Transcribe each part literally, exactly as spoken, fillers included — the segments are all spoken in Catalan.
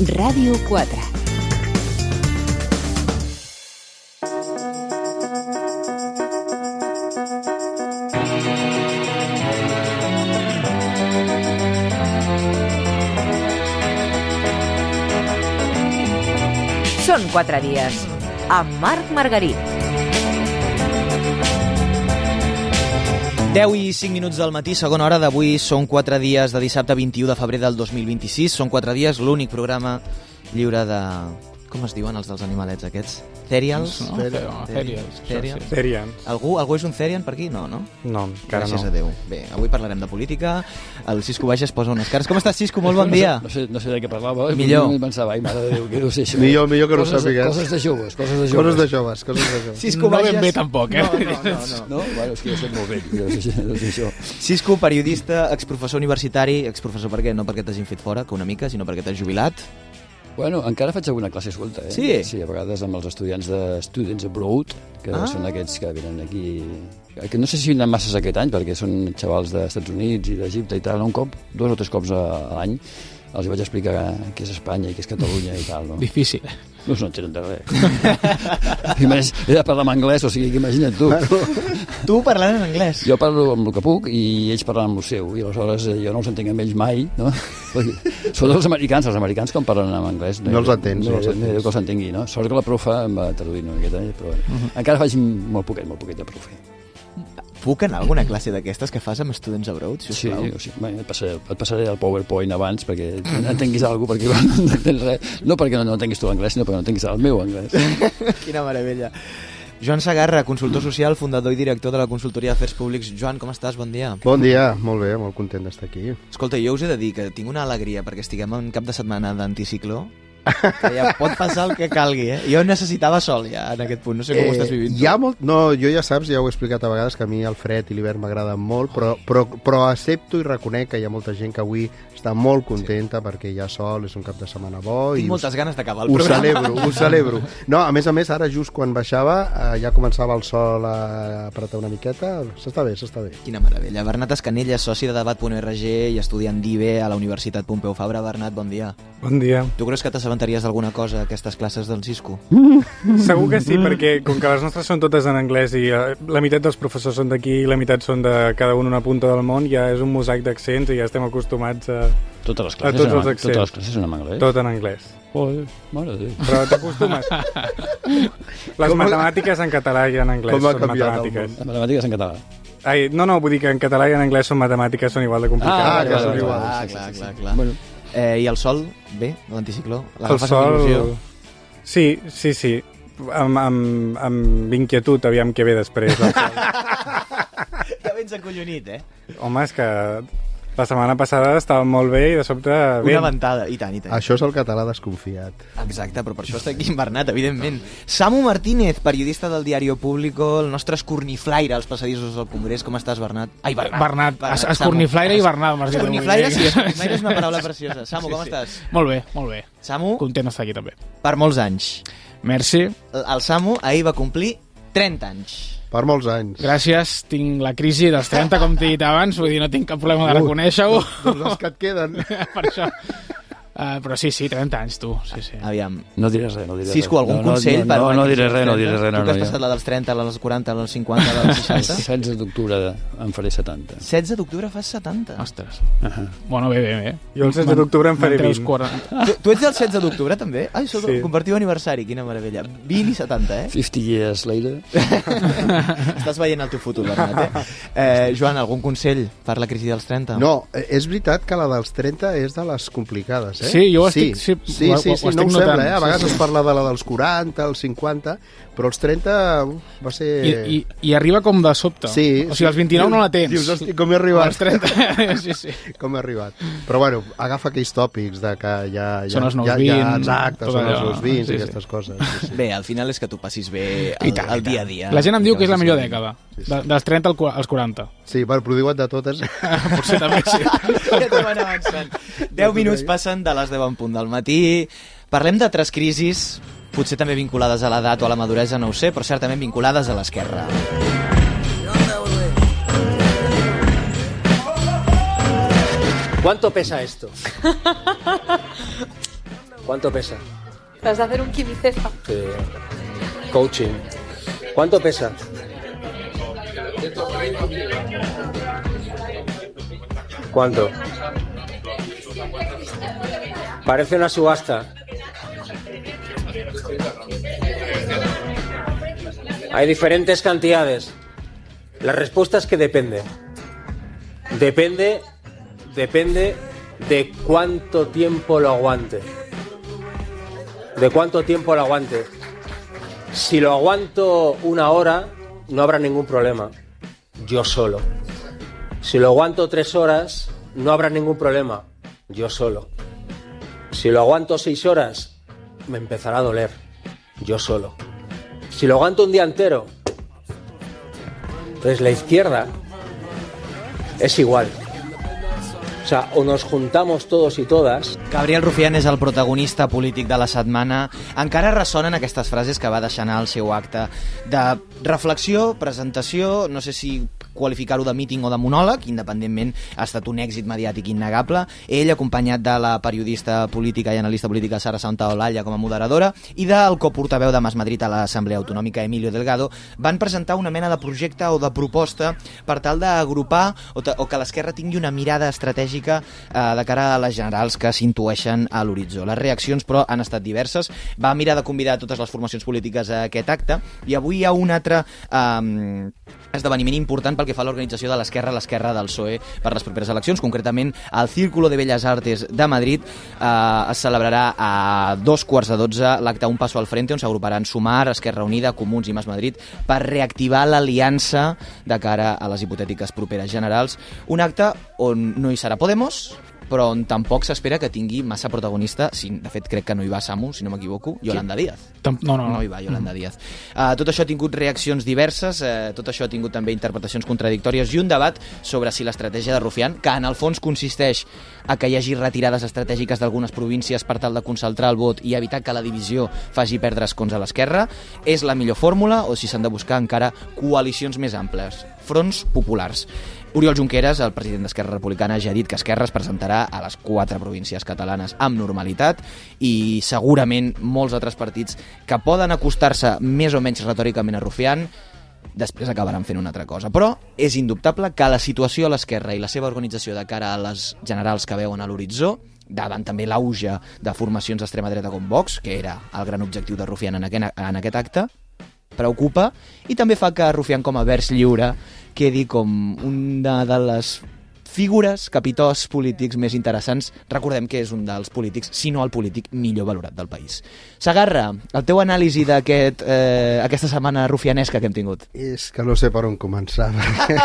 Ràdio quatre. Són quatre dies, amb Marc Margarit. deu i cinc minuts del matí, segona hora d'avui. Són quatre dies de dissabte vint-i-u de febrer del dos mil vint-i-sis. Són quatre dies, l'únic programa lliure de... Com es diuen els dels animalets aquests? Cereals? No, Cereals. Cereals. Cereals. Algú, algú és un Cerian per aquí? No, no? No, encara Gràcies no. a Déu. Bé, avui parlarem de política. El Cisco Baixes posa unes cares. Com estàs, Cisco? Molt bon dia. No sé, no sé de què parlava. Millor. I pensava, ai, mare de Déu, què deu ser això? Millor, millor que no ho Coses- sàpigues. Coses de joves, coses de joves. Coses de joves, coses de joves. Cisco No Baixes... ben bé tampoc, eh? No, no, no. no. No? Bueno, és que jo soc molt vell, deu ser, deu ser això. Cisco, periodista, exprofessor universitari. Exprofessor per què? No perquè t'hagin fet fora, que una mica, sinó perquè t'has jubilat. Bueno, encara faig alguna classe suelta, eh? Sí? Sí, a vegades amb els estudiants de Students Abroad, que Ah. són aquests que venen aquí... Que no sé si vinen masses aquest any, perquè són xavals dels Estats Units i d'Egipte i tal. Un cop, dos o tres cops a, a l'any, els vaig explicar què és Espanya i què és Catalunya i tal, no? Difícil. No no entenen de res. I més, he de parlar en anglès, o sigui que imagina't tu. Tu parlant en anglès. Jo parlo amb el que puc i ells parlen amb el seu, i aleshores eh, jo no els entenc amb ells mai, no? Sobretot els americans, els americans quan parlen en anglès... No els entens, no, no els no, no, entens. que els entengui, no? Sort que la profa em va traduir una miqueta, eh? Però bueno. Mhm. Encara faig molt poquet, molt poquet de profe. Puc anar a alguna classe d'aquestes que fas amb Students Abroad, Sí, sisplau? o sigui, bé, et, passaré, et passaré el PowerPoint abans perquè entenguis alguna cosa, perquè igual no entens res. No perquè no, no entenguis tu l'anglès, sinó perquè no entenguis el meu anglès. Quina meravella. Joan Segarra, consultor social, fundador i director de la consultoria d'Afers Públics. Joan, com estàs? Bon dia. Bon dia, molt bé, molt content d'estar aquí. Escolta, jo us he de dir que tinc una alegria perquè estiguem en cap de setmana d'anticicló, que ja pot passar el que calgui, eh? Jo necessitava sol ja en aquest punt, no sé com ho estàs vivint. Hi ha molt... No, jo ja saps, ja ho he explicat a vegades, que a mi el fred i l'hivern m'agraden molt, però, però, però accepto i reconec que hi ha molta gent que avui està molt contenta sí. perquè hi ha sol, és un cap de setmana bo... Tinc i moltes us, ganes d'acabar el ho programa. celebro, ho celebro. No, a més a més, ara just quan baixava, eh, ja començava el sol a apretar una miqueta. S'està bé, s'està bé. Quina meravella. Bernat Escanella, soci de debat punt org i estudiant d'I B a la Universitat Pompeu Fabra. Bernat, bon dia. Bon dia. Tu creus que t'assabentaries d'alguna cosa a aquestes classes del Cisco? Segur que sí, perquè com que les nostres són totes en anglès i eh, la meitat dels professors són d'aquí i la meitat són de cada un una punta del món, ja és un mosaic d'accents i ja estem acostumats a... Totes les A classes, tots en- els accents. totes les classes són en anglès. Tot en anglès. Joder, mare de Déu. Però t'acostumes. Les Com a- matemàtiques en català i en anglès Com ha són canviat el matemàtiques. Les matemàtiques en català. Ai, no, no, vull dir que en català i en anglès són matemàtiques, són igual de complicades. Ah, vale, que vale, són vale, iguals. Ah, sí, sí, clar, sí, clar, sí. clar. Bueno, Eh, I el sol? Bé, l'anticicló? El L'agafes amb sol... il·lusió? Sí, sí, sí. Amb, amb, amb inquietud, aviam què ve després. El sol. Ja vens acollonit, eh? Home, és que la setmana passada estava molt bé i de sobte... Una Bé, ventada, i tant, i tant. Això és el català desconfiat. Exacte, però per això està aquí en Bernat, evidentment. Samu Martínez, periodista del Diario Público, el nostre escorniflaire als passadissos del Congrés. Com estàs, Bernat? Ai, Bernat. Bernat, Bernat, escorniflaire Samu. i Bernat, m'has dit. Escorniflaire, sí, escorniflaire és una paraula preciosa. Samu, com Sí, sí. estàs? Molt bé, molt bé. Samu, Content d'estar aquí també. per molts anys. Merci. El el Samu ahir va complir trenta anys. Per molts anys. Gràcies, tinc la crisi dels trenta, com t'he dit abans, vull dir, no tinc cap problema de reconèixer-ho. Doncs els que et queden. Per això. Uh, però sí, sí, trenta anys, tu. Sí, sí. Aviam. no diré res, no diré Cisco, res. algun no, no, consell? No, per no, una no crisi diré dels res, no trenta? diré res. Tu No, que has no, passat ja. la dels trenta, la dels quaranta, la dels cinquanta, la dels seixanta? setze d'octubre em faré setanta. setze d'octubre fas setanta. Ostres. Uh -huh. Bueno, bé, bé, bé. Jo el setze d'octubre em faré vint. quaranta. Tu, tu ets del setze d'octubre, també? Ai, sou Sí. sí. compartiu aniversari, quina meravella. vint i setanta, eh? cinquanta years later. Estàs veient el teu futur, Bernat, eh? eh? Joan, algun consell per la crisi dels trenta? No, eh, és veritat que la dels trenta és de les complicades, eh? Sí, jo ho sí, estic- sí, sí, ho- sí, ho sí, estic no ho notant, sembla, eh? A sí, vegades sí. es parla de la dels quaranta, els cinquanta, però els trenta uf, va ser... I, i, I arriba com de sobte. Sí, O sigui, als vint-i-nou no la tens. Dius, hosti, com he arribat? Als trenta, sí, sí. Com he arribat. Però bueno, agafa aquells tòpics de que ja... ja Són els nous ja, vint, Ja, exacte, tot són els allò. nous vint Sí, i sí. aquestes coses. Sí, sí. Bé, al final és que tu passis bé I el, tant, el i dia a tant. dia. La gent em diu que és la millor vagis dècada. Sí, sí. De, dels trenta al qu- als quaranta. Sí, bueno, però diuen de totes. Potser també, sí. Ja t'ho van avançant. deu minuts passen de les deu en punt del matí. Parlem d'altres crisis, potser també vinculades a l'edat o a la maduresa, no ho sé, però certament vinculades a l'esquerra. ¿Cuánto pesa esto? ¿Cuánto pesa? Vas a hacer un quimicesta. Sí. Coaching. ¿Cuánto pesa? ¿Cuánto? Parece una subasta. Hay diferentes cantidades. La respuesta es que depende. Depende, depende de cuánto tiempo lo aguante. De cuánto tiempo lo aguante. Si lo aguanto una hora, no habrá ningún problema. Yo solo. Si lo aguanto tres horas, no habrá ningún problema. Yo solo. Si lo aguanto seis horas, me empezará a doler. Yo solo. Si lo aguanto un día entero, pues la izquierda es igual. O sea, o nos juntamos todos i totes... Gabriel Rufián és el protagonista polític de la setmana. Encara ressonen aquestes frases que va deixar anar al seu acte de reflexió, presentació, no sé si qualificar-ho de míting o de monòleg, independentment ha estat un èxit mediàtic innegable. Ell, acompanyat de la periodista política i analista política Sara Santaolalla com a moderadora i del coportaveu de Mas Madrid a l'Assemblea Autonòmica, Emilio Delgado, van presentar una mena de projecte o de proposta per tal d'agrupar o, o que l'esquerra tingui una mirada estratègica eh, de cara a les generals que s'intueixen a l'horitzó. Les reaccions, però, han estat diverses. Va mirar de convidar totes les formacions polítiques a aquest acte i avui hi ha un altre eh, esdeveniment important pel que fa a l'organització de l'esquerra, l'esquerra del P S O E per les properes eleccions. Concretament, al Círculo de Bellas Artes de Madrid eh, es celebrarà a dos quarts de dotze l'acte Un Paso al Frente, on s'agruparan Sumar, Esquerra Unida, Comuns i Mas Madrid per reactivar l'aliança de cara a les hipotètiques properes generals. Un acte on no hi serà Podemos, però on tampoc s'espera que tingui massa protagonista. Sí, de fet, crec que no hi va Samu, si no m'equivoco, Yolanda Díaz. No, no, no. No hi va Yolanda mm. Díaz. Uh, tot això ha tingut reaccions diverses, uh, tot això ha tingut també interpretacions contradictòries i un debat sobre si l'estratègia de Rufián, que en el fons consisteix a que hi hagi retirades estratègiques d'algunes províncies per tal de concentrar el vot i evitar que la divisió faci perdre escons a l'esquerra, és la millor fórmula o si s'han de buscar encara coalicions més amples, fronts populars. Oriol Junqueras, el president d'Esquerra Republicana, ja ha dit que Esquerra es presentarà a les quatre províncies catalanes amb normalitat i segurament molts altres partits que poden acostar-se més o menys retòricament a Rufián després acabaran fent una altra cosa. Però és indubtable que la situació a l'esquerra i la seva organització de cara a les generals que veuen a l'horitzó, davant també l'auge de formacions d'extrema dreta com Vox, que era el gran objectiu de Rufián en aquest, en aquest acte, preocupa i també fa que Rufián com a vers lliure quedi com una de les figures, capitós polítics més interessants. Recordem que és un dels polítics, si no el polític millor valorat del país. Sagarra, el teu anàlisi d'aquest eh, aquesta setmana rufianesca que hem tingut. És que no sé per on començar, perquè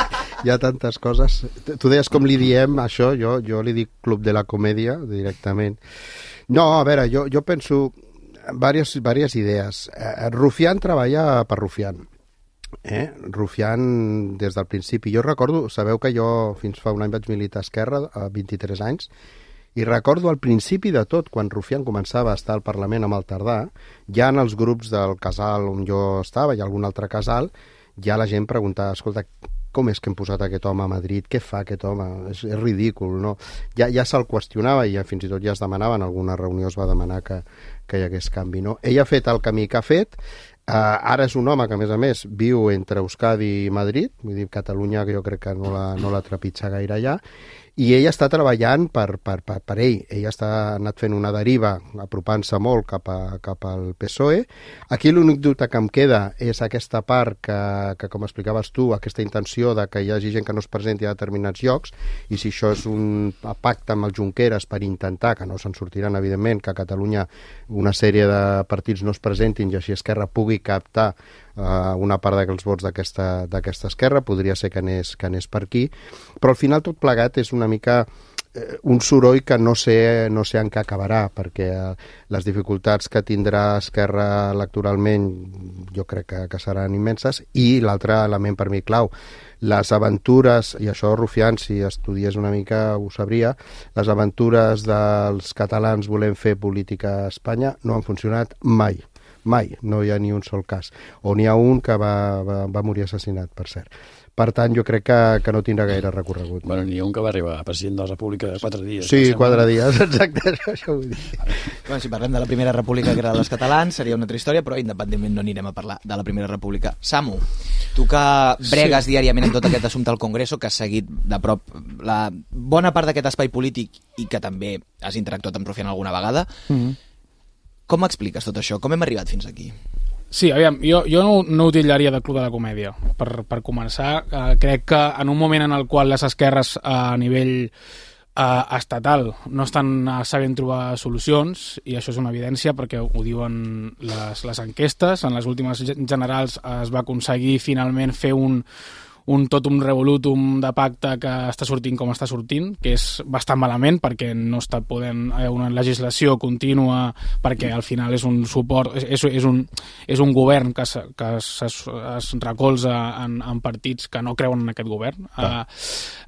hi ha tantes coses. Tu deies com li diem això, jo, jo li dic Club de la Comèdia directament. No, a veure, jo, jo penso diverses, diverses idees. Eh, Rufián treballa per Rufián. Eh? Rufián des del principi. Jo recordo, sabeu que jo fins fa un any vaig militar a Esquerra, a vint-i-tres anys, i recordo al principi de tot, quan Rufián començava a estar al Parlament amb el Tardà, ja en els grups del casal on jo estava i algun altre casal, ja la gent preguntava, escolta, com és que hem posat aquest home a Madrid? Què fa aquest home? És, és ridícul, no? Ja, ja se'l qüestionava i ja, fins i tot ja es demanava, en alguna reunió es va demanar que, que hi hagués canvi, no? Ell ha fet el camí que ha fet. Uh, ara és un home que, a més a més, viu entre Euskadi i Madrid, vull dir, Catalunya, que jo crec que no la, no la trepitja gaire allà, i ell està treballant per, per, per, per ell. Ell està anat fent una deriva, apropant-se molt cap, a, cap al P S O E. Aquí l'únic dubte que em queda és aquesta part que, que, com explicaves tu, aquesta intenció de que hi hagi gent que no es presenti a determinats llocs, i si això és un pacte amb els Junqueras per intentar, que no se'n sortiran, evidentment, que a Catalunya una sèrie de partits no es presentin i així Esquerra pugui captar uh, una part dels vots d'aquesta d'aquesta esquerra, podria ser que anés, que anés per aquí, però al final tot plegat és una mica eh, un soroll que no sé, no sé en què acabarà, perquè eh, les dificultats que tindrà Esquerra electoralment jo crec que, que seran immenses, i l'altre element per mi clau, les aventures, i això Rufián, si estudiés una mica ho sabria, les aventures dels catalans volent fer política a Espanya no han funcionat mai. Mai, no hi ha ni un sol cas. O n'hi ha un que va, va, va morir assassinat, per cert. Per tant, jo crec que, que no tindrà gaire recorregut. Bueno, n'hi ha un que va arribar a president de la República de quatre dies. Sí, quatre dies, exacte, això vull dir. Bueno, si parlem de la Primera República, que era dels catalans, seria una altra història, però independentment no anirem a parlar de la Primera República. Samu, tu que bregues sí. diàriament en tot aquest assumpte al Congreso, que has seguit de prop la bona part d'aquest espai polític i que també has interactuat amb Rufián alguna vegada, mm-hmm. com expliques tot això? Com hem arribat fins aquí? Sí, aviam, jo, jo no, no ho titllaria de Club de la Comèdia. Per, per començar, eh, crec que en un moment en el qual les esquerres eh, a nivell eh, estatal no estan eh, sabent trobar solucions, i això és una evidència perquè ho diuen les, les enquestes, en les últimes generals es va aconseguir finalment fer un un totum revolutum de pacte que està sortint com està sortint, que és bastant malament perquè no està podent haver una legislació contínua, perquè al final és un suport, és, és, un, és un govern que, se, que es, es recolza en, en partits que no creuen en aquest govern. Uh,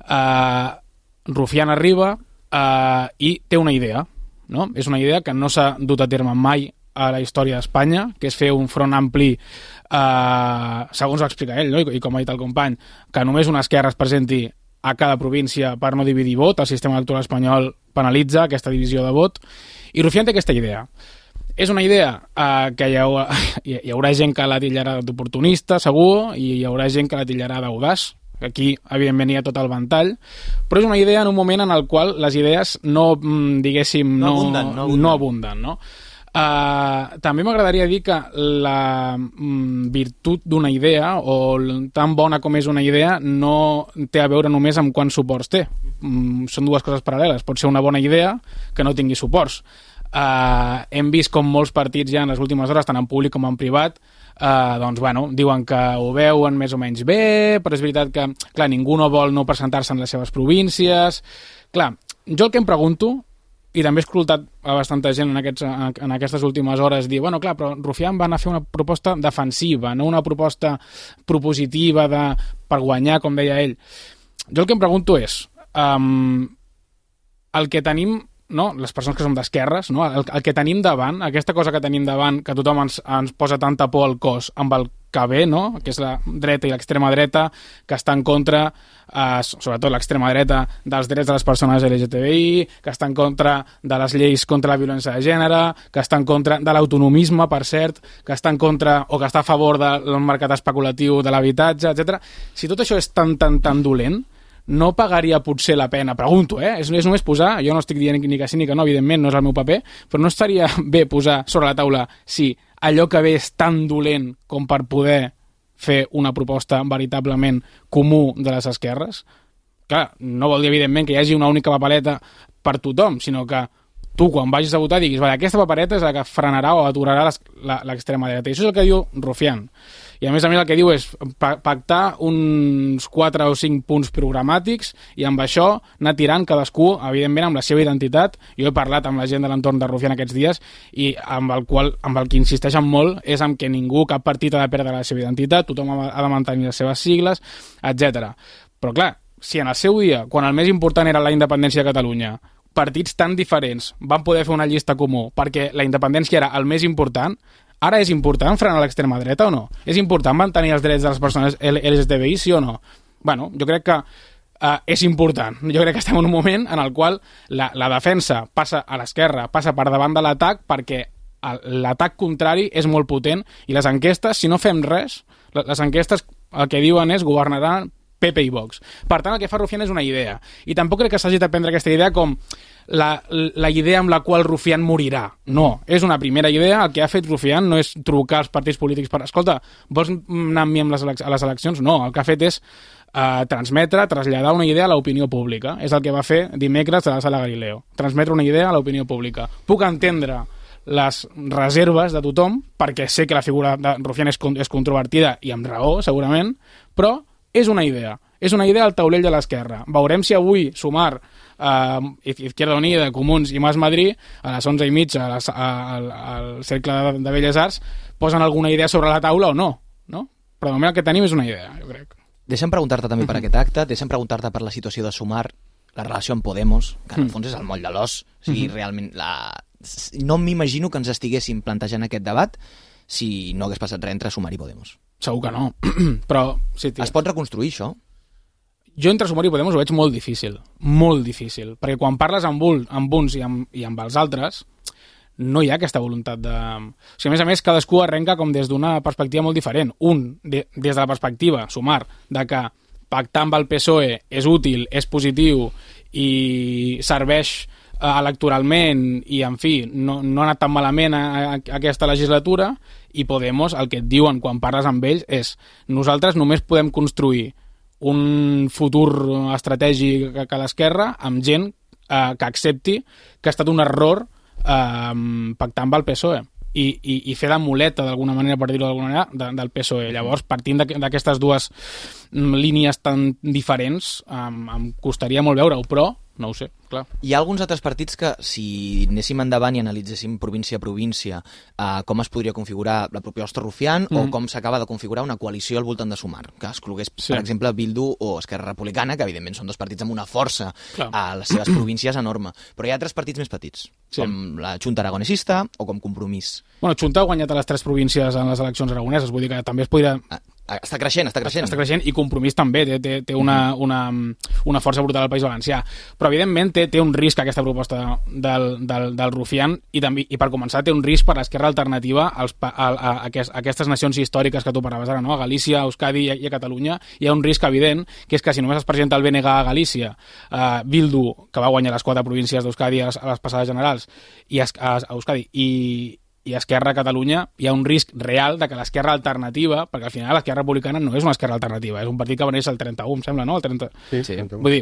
uh, Rufián arriba uh, i té una idea, no? És una idea que no s'ha dut a terme mai a la història d'Espanya, que és fer un front ampli, eh, segons ho explica ell, no? I, i com ha dit el company, que només una esquerra es presenti a cada província per no dividir vot. El sistema electoral espanyol penalitza aquesta divisió de vot, i Rufián té aquesta idea. És una idea eh, que hi haurà, hi haurà gent que la tillarà d'oportunista, segur, i hi haurà gent que la tillarà d'audaç. Aquí, evidentment, hi ha tot el ventall, però és una idea en un moment en el qual les idees no, diguéssim, no, no abunden, no abunden, no abunden, no? Uh, també m'agradaria dir que la mm, virtut d'una idea, o tan bona com és una idea, no té a veure només amb quants suports té. Mm, són dues coses paral·leles. Pot ser una bona idea que no tingui suports. Uh, hem vist com molts partits ja en les últimes hores, tant en públic com en privat, uh, doncs, bueno, diuen que ho veuen més o menys bé, però és veritat que, clar, ningú no vol no presentar-se en les seves províncies. Clar, jo el que em pregunto, i també he escoltat a bastanta gent en, aquests, en aquestes últimes hores dir, bueno, clar, però Rufián va anar a fer una proposta defensiva, no una proposta propositiva de, per guanyar, com deia ell. Jo el que em pregunto és, um, el que tenim, no, les persones que som d'esquerres, no, el, el que tenim davant, aquesta cosa que tenim davant, que tothom ens, ens posa tanta por al cos amb el que ve, no? Que és la dreta i l'extrema dreta, que està en contra, eh, sobretot l'extrema dreta, dels drets de les persones L G T B I, que està en contra de les lleis contra la violència de gènere, que està en contra de l'autonomisme, per cert, que està en contra o que està a favor del mercat especulatiu de l'habitatge, etcètera. Si tot això és tan, tan, tan dolent, no pagaria potser la pena, pregunto, eh? És, és només posar, jo no estic dient ni que sí ni que no, evidentment, no és el meu paper, però no estaria bé posar sobre la taula si allò que ve és tan dolent com per poder fer una proposta veritablement comú de les esquerres? Clar, no vol dir, evidentment, que hi hagi una única papereta per tothom, sinó que tu, quan vagis a votar, diguis, vale, aquesta papereta és la que frenarà o aturarà l'extrema dreta. I això és el que diu Rufián. I a més a més el que diu és pactar uns quatre o cinc punts programàtics i amb això anar tirant cadascú, evidentment, amb la seva identitat. Jo he parlat amb la gent de l'entorn de Rufián aquests dies i amb el, qual, amb el que insisteixen molt és amb que ningú, cap partit ha de perdre la seva identitat, tothom ha de mantenir les seves sigles, etcètera. Però clar, si en el seu dia, quan el més important era la independència de Catalunya, partits tan diferents van poder fer una llista comú perquè la independència era el més important, ara és important frenar l'extrema dreta o no? És important mantenir els drets de les persones L G T B I, sí o no? Bueno, jo crec que uh, és important. Jo crec que estem en un moment en el qual la, la defensa passa a l'esquerra, passa per davant de l'atac, perquè l'atac contrari és molt potent i les enquestes, si no fem res, les enquestes el que diuen és governaran P P i Vox. Per tant, el que fa Rufián és una idea. I tampoc crec que s'hagi de prendre aquesta idea com la, la idea amb la qual Rufián morirà. No, és una primera idea. El que ha fet Rufián no és trucar als partits polítics per... Escolta, vols anar amb mi amb les elec a les eleccions? No, el que ha fet és eh, transmetre, traslladar una idea a l'opinió pública. És el que va fer dimecres a la Sala Galileo. Transmetre una idea a l'opinió pública. Puc entendre les reserves de tothom, perquè sé que la figura de Rufián és, és controvertida i amb raó, segurament, però és una idea. És una idea al taulell de l'esquerra. Veurem si avui Sumar, eh, Izquierda Unida, Comuns i Mas Madrid, a les onze i mitja, a les, a, al, al Cercle de, de Belles Arts, posen alguna idea sobre la taula o no, no? Però de moment el que tenim és una idea, jo crec. Deixa'm preguntar-te també per aquest acte, deixa'm preguntar-te per la situació de Sumar, la relació amb Podemos, que en el fons és el moll de l'os. O sigui, mm-hmm. realment, la... no m'imagino que ens estiguéssim plantejant aquest debat si no hagués passat res entre Sumar i Podemos. Segur que no. Però, sí, tio. Es pot reconstruir, això? Jo entre Sumar i Podemos ho veig molt difícil. Molt difícil. Perquè quan parles amb, un, amb uns i amb, i amb els altres, no hi ha aquesta voluntat de... O sigui, a més a més, cadascú arrenca com des d'una perspectiva molt diferent. Un, de, des de la perspectiva, Sumar, de que pactar amb el P S O E és útil, és positiu i serveix electoralment i, en fi, no, no ha anat tan malament a, a, a aquesta legislatura, i Podemos, el que et diuen quan parles amb ells és nosaltres només podem construir un futur estratègic a, a l'esquerra amb gent eh, que accepti que ha estat un error eh, pactar amb el P S O E i, i, i fer de muleta, d'alguna manera, per dir-ho d'alguna manera, de, del P S O E. Llavors, partint d'aquestes dues línies tan diferents, em, em costaria molt veure-ho, però no ho sé, clar. Hi ha alguns altres partits que, si anéssim endavant i analitzéssim província a província eh, com es podria configurar la proposta Rufián mm. o com s'acaba de configurar una coalició al voltant de Sumar, que exclogués, sí. per exemple, Bildu o Esquerra Republicana, que evidentment són dos partits amb una força clar. A les seves províncies enorme. Però hi ha altres partits més petits, sí. com la Junta Aragonesista o com Compromís. Bueno, Junta ha guanyat a les tres províncies en les eleccions aragoneses, vull dir que també es podria... Ah. Està creixent, està creixent. Està creixent i Compromís també té, té, té una, una, una força brutal al País Valencià. Però, evidentment, té, té un risc aquesta proposta del, del, del Rufián i, també, i, per començar, té un risc per l'esquerra alternativa als, a, a, a, a aquestes nacions històriques que tu parlaves ara, no? A Galícia, a Euskadi i a, i a Catalunya. Hi ha un risc evident, que és que si només es presenta el B N G a Galícia, eh, Bildu, que va guanyar les quatre províncies d'Euskadi a, a les passades generals, i a, a, a Euskadi, i i Esquerra a Catalunya, hi ha un risc real de que l'esquerra alternativa, perquè al final l'esquerra republicana no és una esquerra alternativa, és un partit que va néixer el trenta-u, em sembla, no? El trenta... Sí, sí. Vull dir,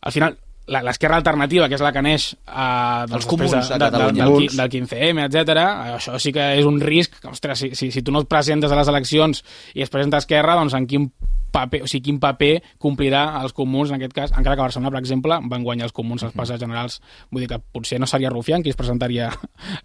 al final, l'esquerra alternativa, que és la que neix eh, doncs, els comuns de, de, de, del, del quinze eme, etcètera, això sí que és un risc, que, ostres, si, si, si tu no et presentes a les eleccions i es presenta Esquerra, doncs en quin paper, o sigui, quin paper complirà els comuns en aquest cas, encara que a Barcelona, per exemple, van guanyar els comuns als passats generals, vull dir que potser no seria Rufián qui es presentaria,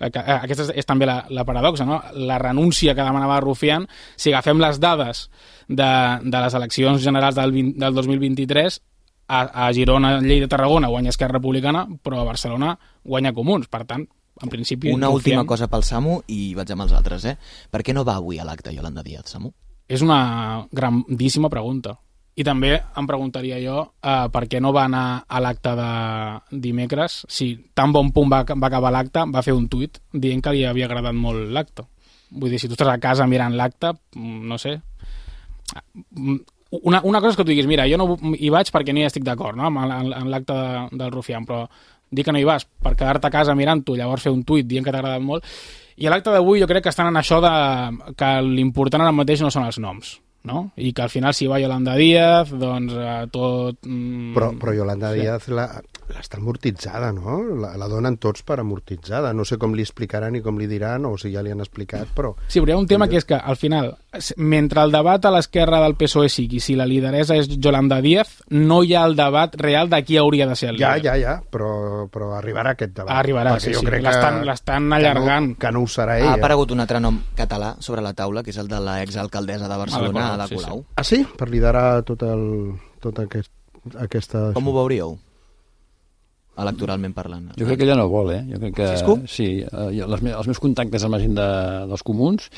aquesta és, és també la, la paradoxa, no? La renúncia que demanava Rufián, si agafem les dades de, de les eleccions generals del, vint, del dos mil vint-i-tres, a, a Girona, Lleida, Tarragona guanya Esquerra Republicana, però a Barcelona guanya Comuns, per tant, en principi... Una Rufián... última cosa pel Samu i vaig amb els altres, eh? Per què no va avui a l'acte Yolanda Díaz, Samu? És una grandíssima pregunta. I també em preguntaria jo eh, per què no va anar a l'acte de dimecres. Si tan bon punt va, va acabar l'acte, va fer un tuit dient que li havia agradat molt l'acte. Vull dir, si tu estàs a casa mirant l'acte, no sé... Una, una cosa és que tu diguis, mira, jo no hi vaig perquè no hi estic d'acord, no?, amb, en, en l'acte de, del Rufián, però dir que no hi vas per quedar-te a casa mirant-ho, llavors fer un tuit dient que t'ha agradat molt. I a l'acte d'avui jo crec que estan en això de que l'important ara mateix no són els noms, no? I que al final si va Yolanda Díaz, doncs eh, tot... Mm, però, però Yolanda sí. Díaz la, l'està amortitzada, no? La, la donen tots per amortitzada. No sé com li explicaran i com li diran, o si ja li han explicat, però... Sí, però hi ha un tema que és que, al final, mentre el debat a l'esquerra del P S O E sigui si la lideressa és Yolanda Díaz, no hi ha el debat real de qui hauria de ser el líder. Ja, ja, ja, però, però arribarà aquest debat. Arribarà, sí, sí. L'estan allargant. Que no, que no ho serà ella. Ha aparegut un altre nom català sobre la taula, que és el de l'exalcaldessa de Barcelona, Ada Colau. Sí, sí. Ah, sí? Per liderar tot, el, tot aquest, aquesta... Com ho veuríeu? Electoralment parlant. Jo crec que ella no vol, eh? Jo crec que... Cisco? Sí, eh, les, els meus contactes amb la gent de, dels comuns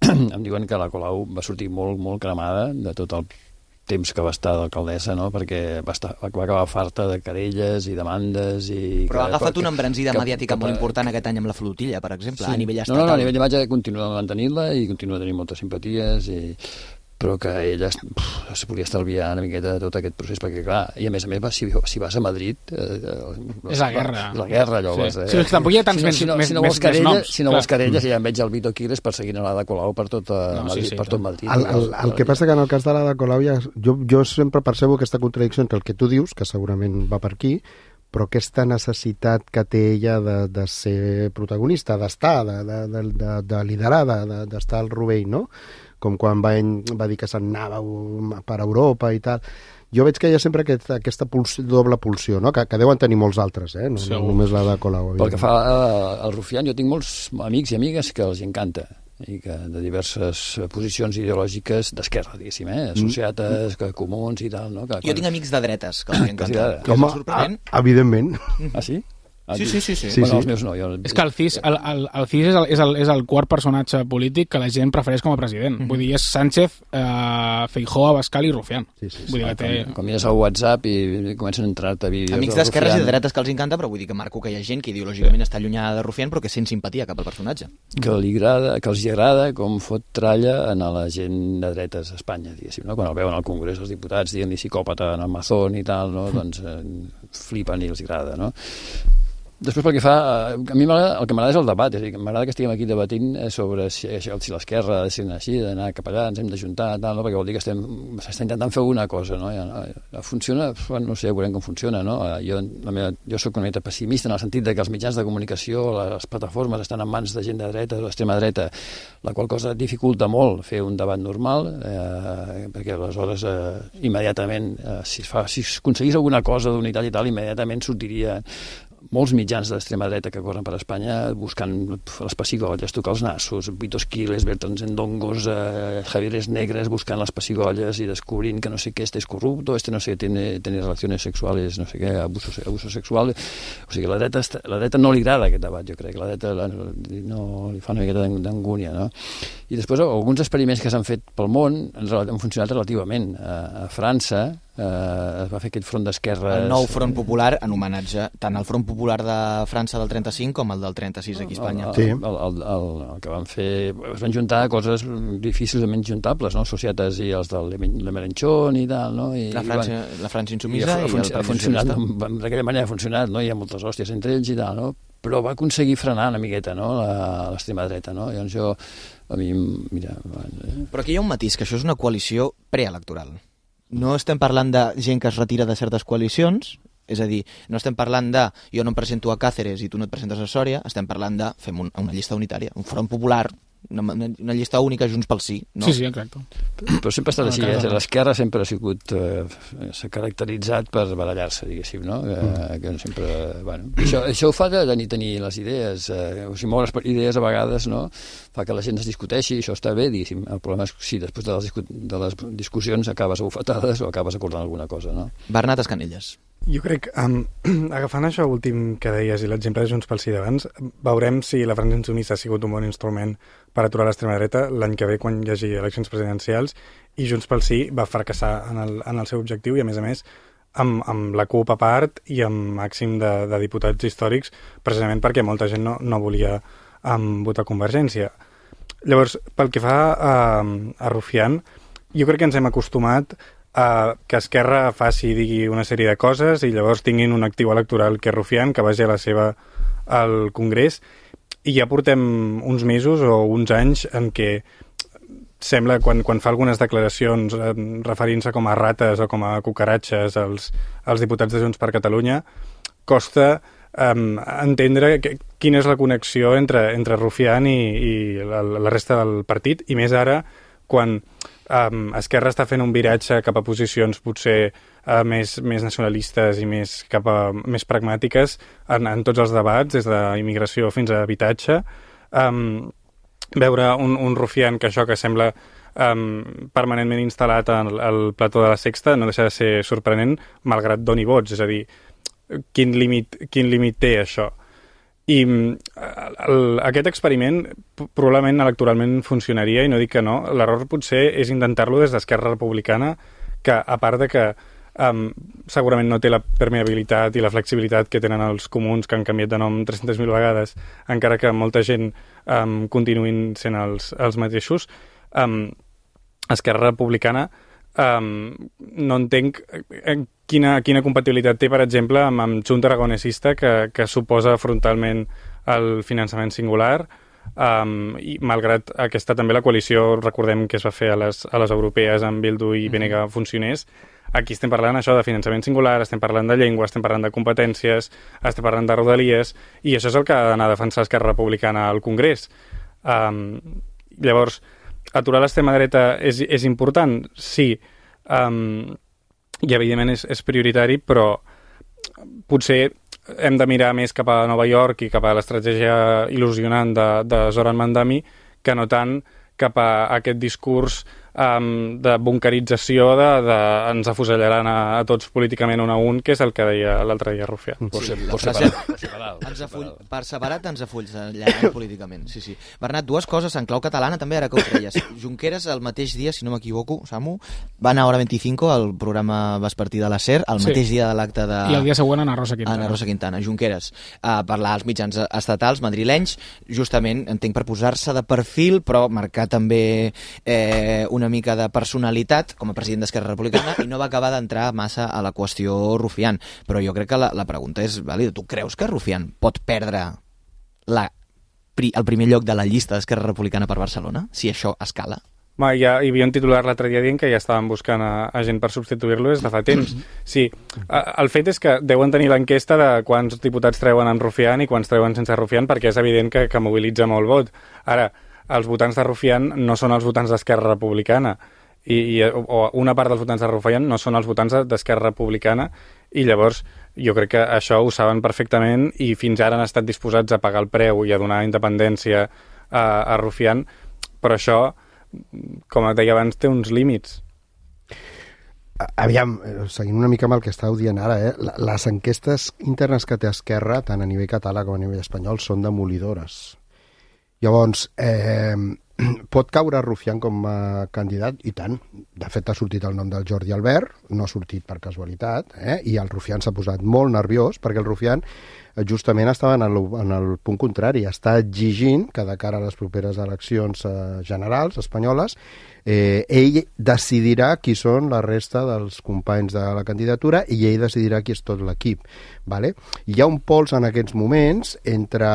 em diuen que la Colau va sortir molt, molt cremada de tot el temps que va estar d'alcaldessa, no? Perquè va, estar, va acabar farta de querelles i demandes i... Però ha agafat una embranzida que, mediàtica que, molt important aquest any amb la flotilla, per exemple, sí. a nivell estatal. No, no, no, a nivell d'imatge continua mantenint-la i continua tenint moltes simpaties i... però que ella uf, es podia estalviar una miqueta de tot aquest procés, perquè clar, i a més a més si, si vas a Madrid eh, és la guerra, és la guerra allò sí. Vas, eh? Sí, tampoc hi ha tants si no, més, si no, més, si no vols més, querella, més noms si no vols querelles, mm. ja em veig el Vito Quiles perseguint l'Ada Colau per tot, no, Madrid, sí, sí, per tot Madrid. El, el, el que passa que en el cas de l'Ada Colau ja, jo, jo sempre percebo aquesta contradicció entre el que tu dius, que segurament va per aquí, però aquesta necessitat que té ella de, de ser protagonista, d'estar, de, de, de, de, de liderar, de, d'estar al rovell, no? Com quan va, va dir que se'n anava per Europa i tal. Jo veig que hi ha sempre aquest, aquesta pulsió, doble pulsió, no? que, que deuen tenir molts altres, eh? no, no només la de Colau. Pel que fa al Rufián, jo tinc molts amics i amigues que els encanta, i que de diverses posicions ideològiques d'esquerra, diguéssim, eh? Associates, que comuns i tal. No? Que, jo quan... tinc amics de dretes que els encanta. Home, evidentment. Ah, sí? Sí, sí, sí. sí. Sí, Bueno, sí. els meus no. Jo... És que el C I S, el, el, el C I S és, el, és, el, és el quart personatge polític que la gent prefereix com a president. Mm -hmm. Vull dir, és Sánchez, eh, Feijóo, Abascal i Rufián. Sí, sí, sí. Vull dir que té... Com, com mires al WhatsApp i comencen a entrar-te vídeos... Amics del d'esquerres i Rufián. de dretes que els encanta, però vull dir que marco que hi ha gent que ideològicament està allunyada de Rufián però que sent simpatia cap al personatge. Que, li agrada, que els hi agrada com fot tralla a la gent de dretes a Espanya, diguéssim, no? Quan el veuen al Congrés els diputats dient-li psicòpata en el Mazón i tal, no? Doncs eh, flipen i els agrada, no? Després, pel que fa, a mi el que m'agrada és el debat, és a dir, m'agrada que estiguem aquí debatint sobre si, si l'esquerra ha de ser així, d'anar cap allà, ens hem d'ajuntar, tal, no? Perquè vol dir que estem, s'està intentant fer alguna cosa, no? Ja, no? Funciona, bueno, no sé, veurem com funciona, no? Jo, la meva, jo soc una mica pessimista en el sentit de que els mitjans de comunicació, les plataformes estan en mans de gent de dreta o d'extrema dreta, la qual cosa dificulta molt fer un debat normal, eh, perquè aleshores eh, immediatament, eh, si, fa, si aconseguís alguna cosa d'unitat i tal, immediatament sortiria molts mitjans d'extrema dreta que corren per Espanya buscant les pessigolles, tocar els nassos, Vitos Quiles, Bertrand Endongos, eh, Javieres Negres, buscant les pessigolles i descobrint que no sé què, este és corrupto, este no sé, tiene, tiene relaciones sexuales, no sé què, abuso, abuso sexual. O sigui, la dreta, la dreta no li agrada aquest debat, jo crec. La dreta la, no, li fa una miqueta d'angúnia, no? I després, alguns experiments que s'han fet pel món han funcionat relativament. A, a França eh, es va fer aquest front d'esquerres... El nou front popular en homenatge tant al front popular de França del trenta-cinc com el del trenta-sis aquí a Espanya. El, el, el, el, el que van fer... Es van juntar coses difícilment juntables, no? Societats i els del Le Melenchon i tal, no? I, la, França, i, la França insumisa i, i, i el ha funcionat, d'aquella manera ha funcionat, no? Hi ha moltes hòsties entre ells i tal, no? Però va aconseguir frenar una miqueta, no? L'extrema dreta, no? Llavors jo... A mi, mira... Eh. Però aquí hi ha un matís, que això és una coalició preelectoral. No estem parlant de gent que es retira de certes coalicions, és a dir, no estem parlant de jo no em presento a Càceres i tu no et presentes a Sòria, estem parlant de fem un, una llista unitària, un front popular, una, una llista única Junts pel Sí, no? Sí, sí, exacte. Però sempre ha estat així, eh? L'esquerra sempre ha sigut eh, s'ha caracteritzat per barallar-se, diguéssim, no? Eh, que sempre, bueno, això, això ho fa de, de tenir les idees, eh, o sigui, moure les idees a vegades, no? Fa que la gent es discuteixi, això està bé, diguéssim. El problema és si després de les, de les discussions acabes a bufetades o acabes acordant alguna cosa, no? Bernat Escanelles. Jo crec, um, agafant això últim que deies i l'exemple de Junts pel Sí d'abans, veurem si la França insumissa ha sigut un bon instrument per aturar l'extrema dreta l'any que ve quan hi hagi eleccions presidencials, i Junts pel Sí va fracassar en el, en el seu objectiu i, a més a més, amb, amb la CUP a part i amb màxim de, de diputats històrics, precisament perquè molta gent no, no volia um, votar Convergència. Llavors, pel que fa a, a Rufián, jo crec que ens hem acostumat a que Esquerra faci i digui una sèrie de coses i llavors tinguin un actiu electoral que és Rufián, que vagi a la seva al Congrés, i ja portem uns mesos o uns anys en què sembla, quan, quan fa algunes declaracions eh, referint-se com a rates o com a cucaratxes als, als diputats de Junts per Catalunya, costa um, entendre que, quina és la connexió entre, entre Rufián i, i la, la resta del partit, i més ara quan um, Esquerra està fent un viratge cap a posicions potser uh, més, més nacionalistes i més, cap a, més pragmàtiques en, en tots els debats, des d'immigració fins a habitatge. Um, veure un, un Rufián que això que sembla um, permanentment instal·lat al, al plató de la Sexta no deixa de ser sorprenent, malgrat doni vots. És a dir, quin límit, quin límit té això? I el, aquest experiment probablement electoralment funcionaria, i no dic que no. L'error potser és intentar-lo des d'Esquerra Republicana, que a part de que um, segurament no té la permeabilitat i la flexibilitat que tenen els comuns, que han canviat de nom tres-centes mil vegades, encara que molta gent um, continuïn sent els, els mateixos, um, Esquerra Republicana um, no entenc quina, quina compatibilitat té, per exemple, amb, amb Junta Aragonesista, que, que suposa frontalment el finançament singular, um, i malgrat aquesta també la coalició, recordem que es va fer a les, a les europees amb Bildu i B N G funcionés, aquí estem parlant això de finançament singular, estem parlant de llengua, estem parlant de competències, estem parlant de rodalies, i això és el que ha d'anar a defensar Esquerra Republicana al Congrés. Um, llavors, aturar l'extrema dreta és, és important? Sí. Um, i evidentment és, és prioritari, però potser hem de mirar més cap a Nova York i cap a l'estratègia il·lusionant de, de Zoran Mandami, que no tant cap a aquest discurs um, de bunkerització, de, de ens afusellaran a, a tots políticament un a un, que és el que deia l'altre dia Rufián. Sí, sí, per separat, per separat, ens afull, per separat ens afusellaran políticament. Sí, sí. Bernat, dues coses en clau catalana també, ara que ho creies. Junqueras el mateix dia, si no m'equivoco, Samu, va anar a Hora vint-i-cinco, al programa vespertí de la SER, el mateix sí. dia de l'acte de... I el dia següent Ana Rosa Quintana. Ana Rosa Quintana, Junqueras, a parlar als mitjans estatals madrilenys, justament, entenc, per posar-se de perfil, però marcar també eh, una mica de personalitat com a president d'Esquerra Republicana, i no va acabar d'entrar massa a la qüestió Rufián. Però jo crec que la, la pregunta és vàlida. Tu creus que Rufián pot perdre la, el primer lloc de la llista d'Esquerra Republicana per Barcelona, si això escala? Ma, ja hi havia un titular l'altre dia dient que ja estaven buscant a, a gent per substituir-lo des de fa temps. Sí, a, el fet és que deuen tenir l'enquesta de quants diputats treuen en Rufián i quants treuen sense Rufián, perquè és evident que, que mobilitza molt vot. Ara, els votants de Rufián no són els votants d'Esquerra Republicana, i, i o una part dels votants de Rufián no són els votants d'Esquerra Republicana, i llavors jo crec que això ho saben perfectament i fins ara han estat disposats a pagar el preu i a donar independència a, a Rufián, però això, com et deia abans, té uns límits. Aviam, seguint una mica amb el que estàveu dient ara, eh? Les enquestes internes que té Esquerra, tant a nivell català com a nivell espanyol, són demolidores. Llavors, eh, pot caure Rufián com a candidat? I tant. De fet, ha sortit el nom del Jordi Albert, no ha sortit per casualitat, eh? I el Rufián s'ha posat molt nerviós, perquè el Rufián justament estava en el, en el punt contrari, està exigint que de cara a les properes eleccions eh, generals espanyoles, eh, ell decidirà qui són la resta dels companys de la candidatura i ell decidirà qui és tot l'equip. Vale? Hi ha un pols en aquests moments entre,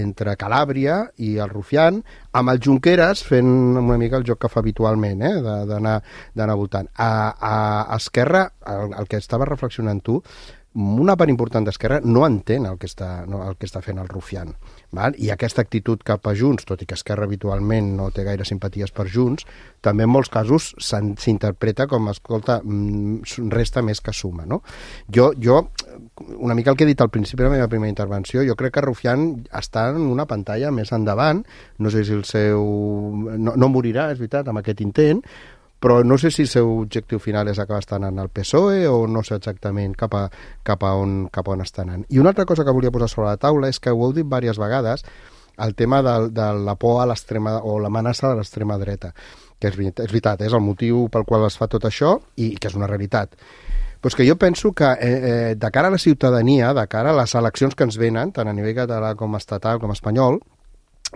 entre Calàbria i el Rufián, amb el Junqueras fent una mica el joc que fa habitualment, eh, d'anar votant. A, a Esquerra, el, el que estava reflexionant tu, una part important d'Esquerra no entén el que està, no, el que està fent el Rufián. Val? I aquesta actitud cap a Junts, tot i que Esquerra habitualment no té gaire simpaties per Junts, també en molts casos s'interpreta com, escolta, resta més que suma. No? Jo, jo, una mica el que he dit al principi de la meva primera intervenció, jo crec que Rufián està en una pantalla més endavant, no sé si el seu... No, no morirà, és veritat, amb aquest intent, però no sé si el seu objectiu final és acabar estant en el P S O E o no sé exactament cap a, cap a, on, cap a on està anant. I una altra cosa que volia posar sobre la taula és que ho heu dit diverses vegades, el tema de, de la por a l'extrema o l'amenaça de l'extrema dreta, que és, és veritat, és el motiu pel qual es fa tot això i que és una realitat. Però és que jo penso que eh, eh, de cara a la ciutadania, de cara a les eleccions que ens venen, tant a nivell català com estatal com espanyol,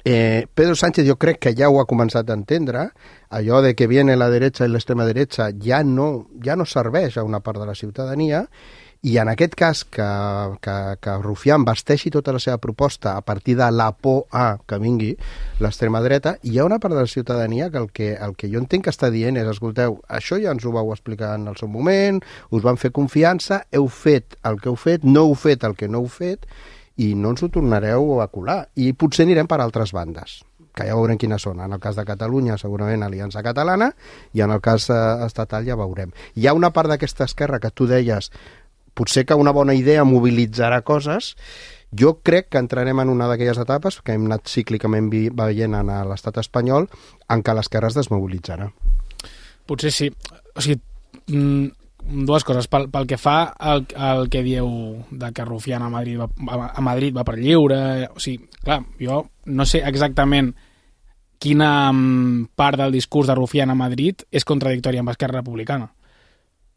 Eh, Pedro Sánchez jo crec que ja ho ha començat a entendre, allò de que viene la derecha i l'extrema derecha ja no, ja no serveix a una part de la ciutadania, i en aquest cas que, que, que Rufián vesteixi tota la seva proposta a partir de la por a que vingui l'extrema dreta, hi ha una part de la ciutadania que el que, el que jo entenc que està dient és, escolteu, això ja ens ho vau explicar en el seu moment, us van fer confiança, heu fet el que heu fet, no heu fet el que no heu fet, i no ens ho tornareu a colar. I potser anirem per altres bandes, que ja veurem quines són. En el cas de Catalunya, segurament Aliança Catalana, i en el cas eh, estatal ja veurem. Hi ha una part d'aquesta esquerra que tu deies, potser que una bona idea mobilitzarà coses. Jo crec que entrarem en una d'aquelles etapes que hem anat cíclicament veient en l'estat espanyol, en què l'esquerra es desmobilitzarà. Potser sí. O sigui, mm, dues coses. Pel, pel que fa al, al que dieu de que Rufián a Madrid, va, a Madrid va per lliure, o sigui, clar, jo no sé exactament quina part del discurs de Rufián a Madrid és contradictòria amb Esquerra Republicana.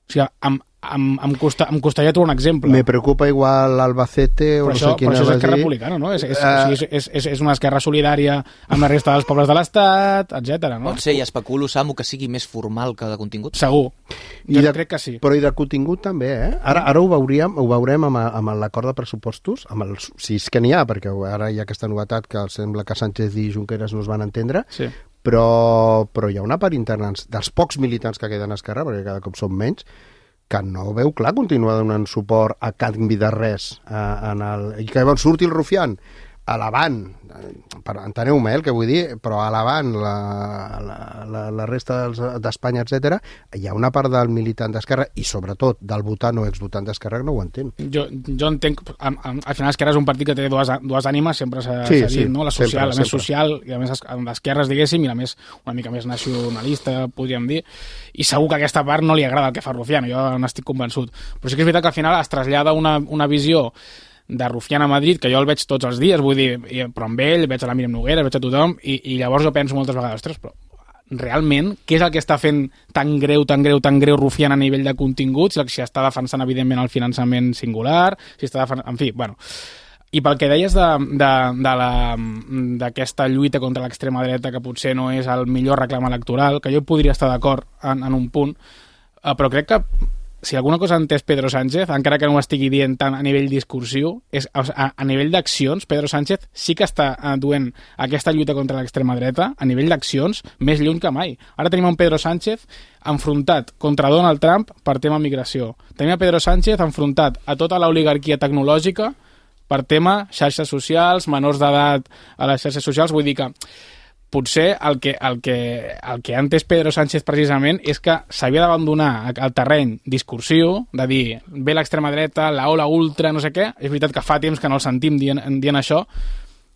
O sigui, em, em, em, costa, em costaria trobar un exemple. Me preocupa igual Albacete o però no això, sé quina però això és Esquerra dir. Republicana, no? És, és, Uh, o sigui, és, és, és una esquerra solidària amb la resta dels pobles de l'Estat, etcètera, no? Pot ser, i especulo, Samu, que sigui més formal que de contingut? Segur. I Jo de, crec que sí. Però i de contingut també, eh? Ara, ara ho veuríem, ho veurem amb, amb l'acord de pressupostos, amb el, si és que n'hi ha, perquè ara hi ha aquesta novetat que sembla que Sánchez i Junqueras no es van entendre, Sí. però, però hi ha una part interna dels pocs militants que queden a Esquerra, perquè cada cop són menys, que no veu clar continuar donant suport a canvi de res. Eh, en el, I que llavors surti el Rufián elevant, per, enteneu-me el que vull dir, però elevant la, la, la, la resta d'Espanya, etcètera, hi ha una part del militant d'Esquerra i sobretot del votant o exvotant d'Esquerra que no ho entén. Jo, jo entenc, al, al final Esquerra és un partit que té dues, dues ànimes, sempre s'ha sí, dit, sí, no? La social, sempre, la més sempre. social, i a més d'esquerres, diguéssim, i la més, una mica més nacionalista, podríem dir, i segur que a aquesta part no li agrada el que fa Rufián, jo n'estic convençut. Però sí que és veritat que al final es trasllada una, una visió de Rufián a Madrid, que jo el veig tots els dies, vull dir, però amb ell, veig a la Míriam Noguera, veig a tothom, i, i llavors jo penso moltes vegades, ostres, però realment, què és el que està fent tan greu, tan greu, tan greu Rufián a nivell de continguts, si està defensant, evidentment, el finançament singular, si està defensant... En fi, bueno... I pel que deies d'aquesta lluita contra l'extrema dreta, que potser no és el millor reclam electoral, que jo podria estar d'acord en, en un punt, però crec que si alguna cosa ha entès Pedro Sánchez, encara que no ho estigui dient tant a nivell discursiu, és a, a nivell d'accions, Pedro Sánchez sí que està duent aquesta lluita contra l'extrema dreta, a nivell d'accions, més lluny que mai. Ara tenim un Pedro Sánchez enfrontat contra Donald Trump per tema migració. Tenim a Pedro Sánchez enfrontat a tota l'oligarquia tecnològica per tema xarxes socials, menors d'edat a les xarxes socials. Vull dir que potser el que, el que, el que ha entès Pedro Sánchez precisament és que s'havia d'abandonar el terreny discursiu, de dir, ve l'extrema dreta, la ola ultra, no sé què. És veritat que fa temps que no el sentim dient, dient això,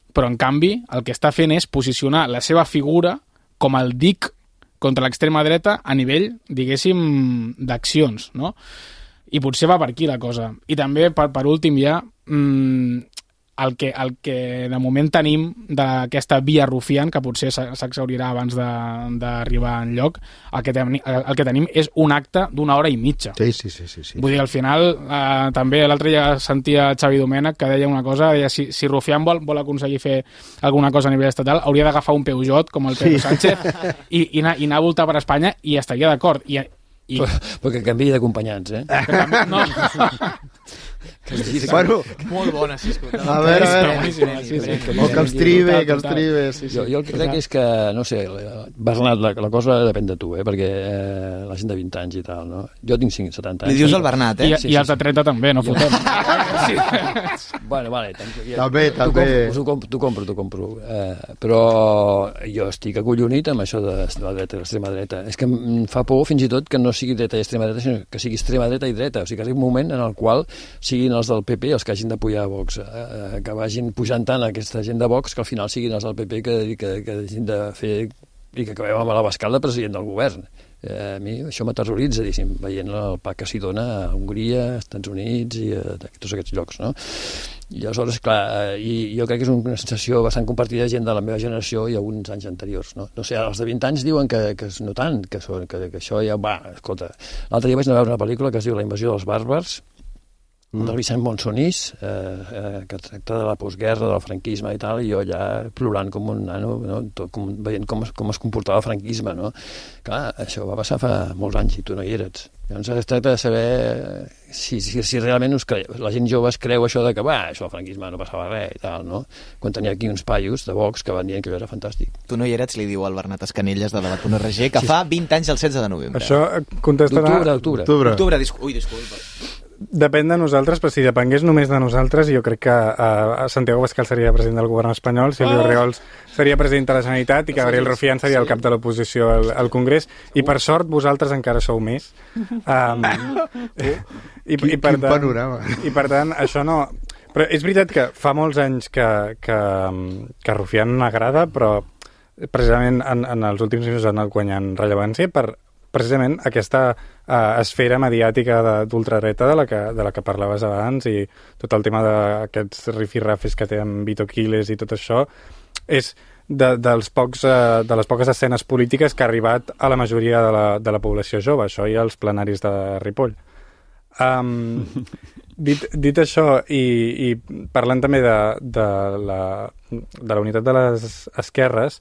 però en canvi el que està fent és posicionar la seva figura com el dic contra l'extrema dreta a nivell, diguéssim, d'accions, no? I potser va per aquí la cosa. I també, per, per últim, ja, mmm, el, que, el que de moment tenim d'aquesta via Rufián, que potser s'exhaurirà abans d'arribar enlloc, el que, ten, el que tenim és un acte d'una hora i mitja. Sí, sí, sí. sí, sí. Vull dir, al final, eh, també l'altre dia sentia Xavi Domènech que deia una cosa, deia, si, si Rufián vol, vol aconseguir fer alguna cosa a nivell estatal, hauria d'agafar un Peugeot, com el Pedro sí. Sánchez, i, i, anar, i anar a voltar per Espanya, i estaria d'acord. I I... Perquè canviï d'acompanyants, eh? No. Bueno, molt bona, sí, escolta. A veure, a veure. Sí, sí, sí. O que els tribe, que els tribe. Sí, sí. Jo, jo el que crec és que, no sé, Bernat, la, la cosa depèn de tu, eh? Perquè eh, la gent de vint anys i tal, no? Jo tinc cinc, setanta anys. Li dius al Bernat, eh? I, sí, i els de trenta també, no fotem. Sí. Bueno, vale. Ja, també, també. T'ho compro, t'ho compro, t'ho compro. Eh, però jo estic acollonit amb això de la dreta i l'extrema dreta. És que em fa por, fins i tot, que no sigui dreta i extrema dreta, sinó que sigui extrema dreta i dreta. O sigui, que és un moment en el qual siguin els del P P els que hagin de pujar a Vox, eh, que vagin pujant tant aquesta gent de Vox que al final siguin els del P P que, que, que hagin de fer i que acabem amb l'Abascal de president del govern. Eh, a mi això m'aterroritza, diguéssim, veient el pa que s'hi dona a Hongria, als Estats Units i a, a tots aquests llocs, no? I aleshores, clar, eh, i jo crec que és una sensació bastant compartida de gent de la meva generació i alguns anys anteriors, no? No sé, els de vint anys diuen que, que no tant, que, són, que, que això ja va, escolta, l'altre dia vaig anar a veure una pel·lícula que es diu La invasió dels bàrbars, Mm. del Vicent Monsonís, eh, eh, que tracta de la postguerra, del franquisme i tal, i jo allà plorant com un nano, no? Tot, com, veient com es, com es comportava el franquisme, no? Clar, això va passar fa molts anys i tu no hi eres. Llavors es tracta de saber si, si, si realment us creu, la gent jove es creu això de que, va, això del franquisme no passava res i tal, no? Quan tenia aquí uns paios de Vox que van dient que allò era fantàstic. Tu no hi eres, li diu al Bernat Escanelles de debat punt org, que sí. Fa vint anys el setze de novembre. Això contestarà... D'octubre, d'octubre. Octubre. Octubre, discu... Ui, disculpa. Depèn de nosaltres, però si depengués només de nosaltres, jo crec que uh, Santiago Abascal seria president del govern espanyol, Silvio oh! Riols seria president de la Generalitat i que Gabriel Rufián seria el cap de l'oposició al, al Congrés, i per sort vosaltres encara sou més. Um, i, i, quin, i per quin tant, panorama. I per tant, això no... Però és veritat que fa molts anys que, que, que Rufián agrada, però precisament en, en els últims mesos ha anat guanyant rellevància per precisament aquesta uh, esfera mediàtica d'ultradreta de, la que, de la que parlaves abans, i tot el tema d'aquests rifirrafes que té amb Vito Quiles i tot això és de, dels pocs, uh, de les poques escenes polítiques que ha arribat a la majoria de la, de la població jove, això i als plenaris de Ripoll. Um, dit, dit això i, i parlant també de, de, la, de la unitat de les esquerres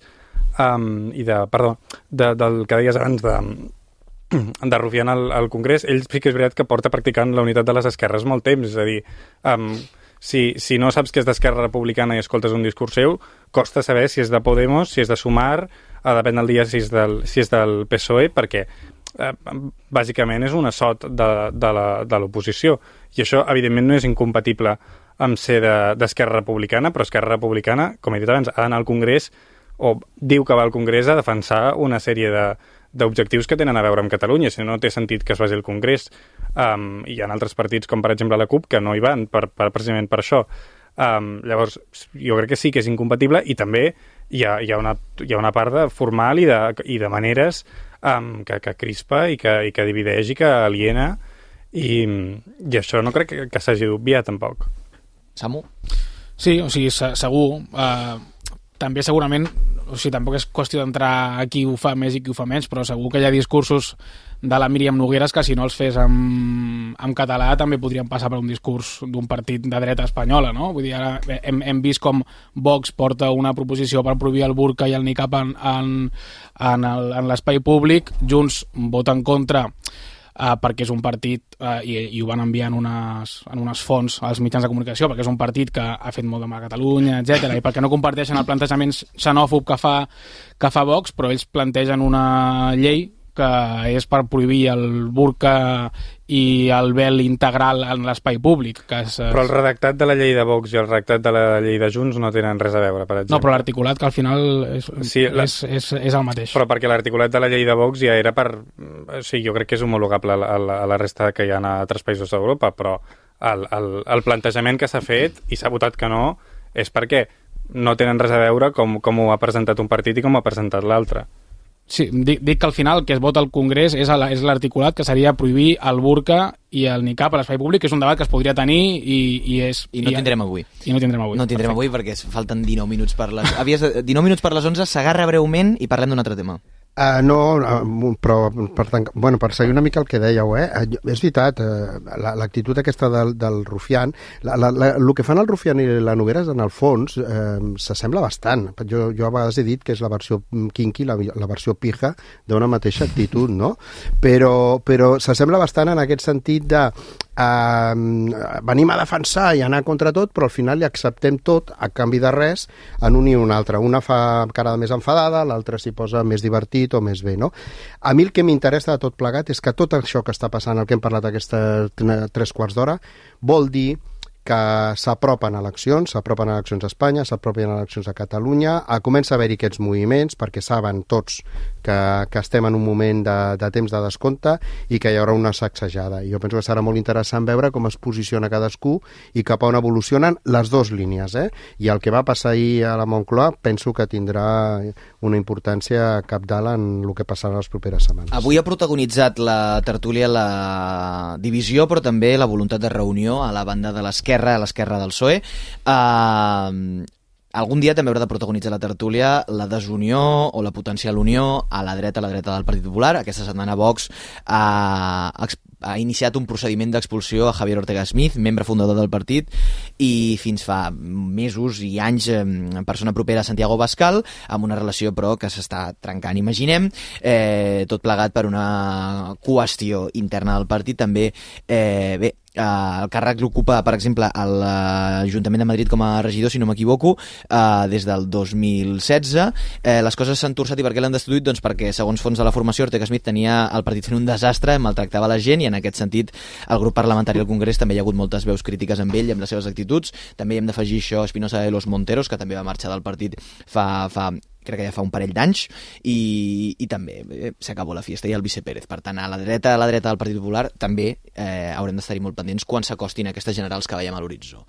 um, i de, perdó, de, del que deies abans de de Rufián al, al Congrés, ell sí que és veritat que porta practicant la unitat de les esquerres molt temps, és a dir, um, si, si no saps que és d'Esquerra Republicana i escoltes un discurs seu, costa saber si és de Podemos, si és de Sumar, eh, depèn del dia si és del, si és del P S O E, perquè eh, bàsicament és un assot de, de l'oposició, i això evidentment no és incompatible amb ser d'Esquerra Republicana, però Esquerra Republicana, com he dit abans, ha d'anar al Congrés, o diu que va al Congrés a defensar una sèrie de d'objectius que tenen a veure amb Catalunya, si no, no té sentit que es vagi al Congrés. Um, hi ha altres partits, com per exemple la CUP, que no hi van per, per, precisament per això. Um, llavors, jo crec que sí que és incompatible, i també hi ha, hi ha, una, hi ha una part de formal i de, i de maneres um, que, que crispa i que, i que divideix i que aliena, i, i això no crec que, que s'hagi d'obviar tampoc. Samu? Sí, o sigui, segur. Uh, també segurament, o sigui, tampoc és qüestió d'entrar a qui ho fa més i qui ho fa menys, però segur que hi ha discursos de la Míriam Nogueras que si no els fes en, en català també podrien passar per un discurs d'un partit de dreta espanyola, no? Vull dir, ara hem, hem vist com Vox porta una proposició per prohibir el burca i el niqab en, en, en, el, en l'espai públic, Junts vota en contra Uh, perquè és un partit, uh, i, i ho van enviar en unes, en unes fonts als mitjans de comunicació, perquè és un partit que ha fet molt de mal a Catalunya, etcètera, i perquè no comparteixen el plantejament xenòfob que fa, que fa Vox, però ells plantegen una llei que és per prohibir el burca i el vel integral en l'espai públic. Que és, però el redactat de la llei de Vox i el redactat de la llei de Junts no tenen res a veure, per exemple. No, però l'articulat, que al final és, sí, la... és, és, és el mateix. Però perquè l'articulat de la llei de Vox ja era per... O sigui, jo crec que és homologable a la, a la resta que hi ha a altres països d'Europa, però el, el, el plantejament que s'ha fet, i s'ha votat que no, és perquè no tenen res a veure com, com ho ha presentat un partit i com ho ha presentat l'altre. Sí, dic, dic que al final que es vota al Congrés és l'articulat que seria prohibir el burca i el niqab a l'espai públic, que és un debat que es podria tenir i, i és... I no i, tindrem avui. I no tindrem avui. No tindrem Perfecte. avui perquè falten dinou minuts per les... Havies de... dinou minuts per les onze, s'agarra breument i parlem d'un altre tema. Uh, no, uh, però per, tant, bueno, per seguir una mica el que dèieu, eh? Uh, és veritat, uh, l'actitud la, aquesta del, del rufián, la, la, la, el que fan el rufián i la Nogueras, en el fons, uh, s'assembla bastant. Jo, jo a vegades he dit que és la versió kinky, la, la versió pija, d'una mateixa actitud, no? Però, però s'assembla bastant en aquest sentit de uh, venim a defensar i anar contra tot, però al final li acceptem tot a canvi de res en un i un altre. Una fa cara més enfadada, l'altra s'hi posa més divertit o més bé, no? A mi el que m'interessa de tot plegat és que tot això que està passant, el que hem parlat aquestes tres quarts d'hora, vol dir que s'apropen eleccions, s'apropen eleccions a Espanya, s'apropen eleccions a Catalunya, a comença a haver-hi aquests moviments perquè saben tots que, que estem en un moment de, de temps de descompte i que hi haurà una sacsejada. I jo penso que serà molt interessant veure com es posiciona cadascú i cap a on evolucionen les dues línies, eh? I el que va passar ahir a la Moncloa penso que tindrà una importància cabdal en el que passarà les properes setmanes. Avui ha protagonitzat la tertúlia la divisió, però també la voluntat de reunió a la banda de l'esquerra, a l'esquerra del P S O E. Uh, algun dia també haurà de protagonitzar la tertúlia la desunió o la potencial unió a la dreta, a la dreta del Partit Popular. Aquesta setmana Vox ha, ha iniciat un procediment d'expulsió a Javier Ortega Smith, membre fundador del partit, i fins fa mesos i anys persona propera a Santiago Abascal, amb una relació però que s'està trencant, imaginem, eh, tot plegat per una qüestió interna del partit. També, eh, bé, Uh, el càrrec l'ocupa, per exemple, a l'Ajuntament de Madrid com a regidor, si no m'equivoco, uh, des del dos mil setze. Eh, les coses s'han torçat. I per què l'han destituït? Doncs perquè, segons fons de la formació, Ortega Smith tenia el partit fent un desastre, maltractava la gent, i en aquest sentit el grup parlamentari al Congrés també hi ha hagut moltes veus crítiques amb ell i amb les seves actituds. També hi hem d'afegir això Espinosa de los Monteros, que també va marxar del partit fa... fa crec que ja fa un parell d'anys, i, i també eh, s'acabó la fiesta, i el Vice Pérez. Per tant, a la dreta, a la dreta del Partit Popular també eh, haurem d'estar-hi molt pendents quan s'acostin aquestes generals que veiem a l'horitzó.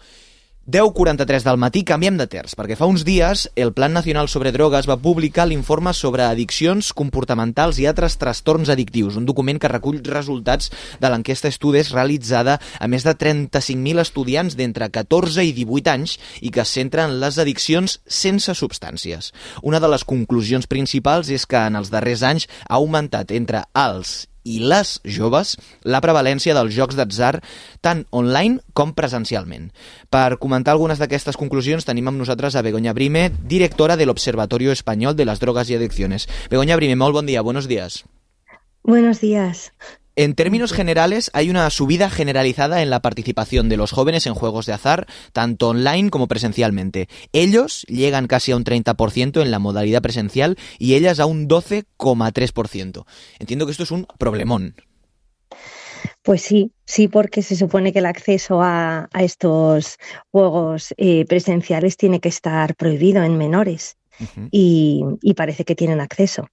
deu quaranta-tres del matí, canviem de terç, perquè fa uns dies el Plan Nacional sobre Drogues va publicar l'informe sobre addiccions comportamentals i altres trastorns addictius, un document que recull resultats de l'enquesta Estudis realitzada a més de trenta-cinc mil estudiants d'entre catorze i divuit anys i que es centra en les addiccions sense substàncies. Una de les conclusions principals és que en els darrers anys ha augmentat entre els i les joves la prevalència dels jocs d'atzar tant online com presencialment. Per comentar algunes d'aquestes conclusions tenim amb nosaltres a Begoña Brime, directora del Observatorio Español de las Drogas y Adicciones. Begoña Brime, molt bon dia, buenos días. Buenos días. En términos generales, hay una subida generalizada en la participación de los jóvenes en juegos de azar, tanto online como presencialmente. Ellos llegan casi a un treinta por ciento en la modalidad presencial y ellas a un doce coma tres por ciento. Entiendo que esto es un problemón. Pues sí, sí, porque se supone que el acceso a, a estos juegos eh, presenciales tiene que estar prohibido en menores Uh-huh. y, y parece que tienen acceso.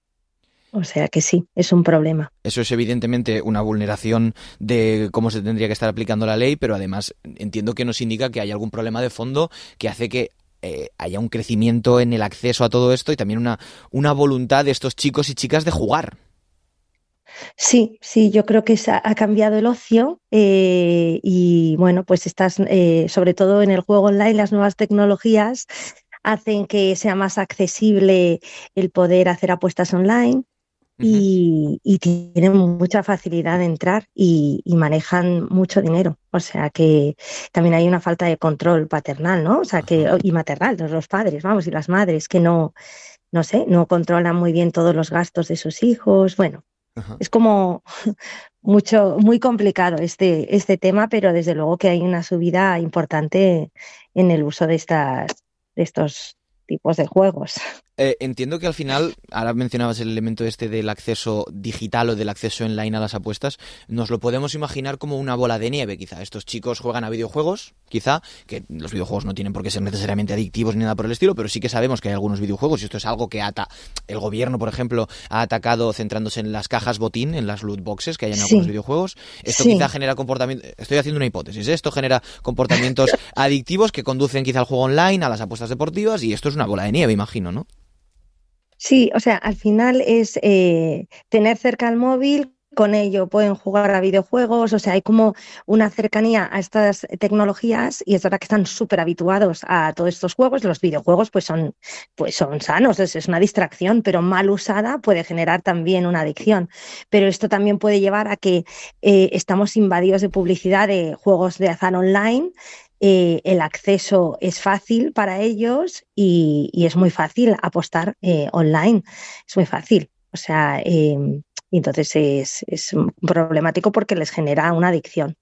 O sea que sí, es un problema. Eso es evidentemente una vulneración de cómo se tendría que estar aplicando la ley, pero además entiendo que nos indica que hay algún problema de fondo que hace que eh, haya un crecimiento en el acceso a todo esto y también una, una voluntad de estos chicos y chicas de jugar. Sí, sí, yo creo que se ha, ha cambiado el ocio eh, y bueno, pues estás, eh, sobre todo en el juego online, las nuevas tecnologías hacen que sea más accesible el poder hacer apuestas online. Y, y tienen mucha facilidad de entrar y, y manejan mucho dinero. O sea que también hay una falta de control paternal, ¿no? O sea que, y maternal, los, los padres, vamos, y las madres que no, no sé, no controlan muy bien todos los gastos de sus hijos. Bueno, Ajá. es como mucho, muy complicado este, este tema, pero desde luego que hay una subida importante en el uso de estas, de estos tipos de juegos. Eh, entiendo que al final, ahora mencionabas el elemento este del acceso digital o del acceso online a las apuestas, nos lo podemos imaginar como una bola de nieve, quizá. Estos chicos juegan a videojuegos, quizá, que los videojuegos no tienen por qué ser necesariamente adictivos ni nada por el estilo, pero sí que sabemos que hay algunos videojuegos, y esto es algo que ata el gobierno, por ejemplo, ha atacado centrándose en las cajas botín, en las loot boxes que hay en Sí. algunos videojuegos. Esto Sí. quizá genera comportamientos, estoy haciendo una hipótesis, ¿eh? Esto genera comportamientos adictivos que conducen quizá al juego online, a las apuestas deportivas, y esto es una bola de nieve, imagino, ¿no? Sí, o sea, al final es eh, tener cerca el móvil, con ello pueden jugar a videojuegos, o sea, hay como una cercanía a estas tecnologías y es verdad que están súper habituados a todos estos juegos. Los videojuegos pues son, pues son sanos, es, es una distracción, pero mal usada puede generar también una adicción. Pero esto también puede llevar a que eh, estamos invadidos de publicidad de juegos de azar online. Eh, el acceso es fácil para ellos y, y es muy fácil apostar eh, online, es muy fácil. O sea, eh, entonces es, es problemático porque les genera una adicción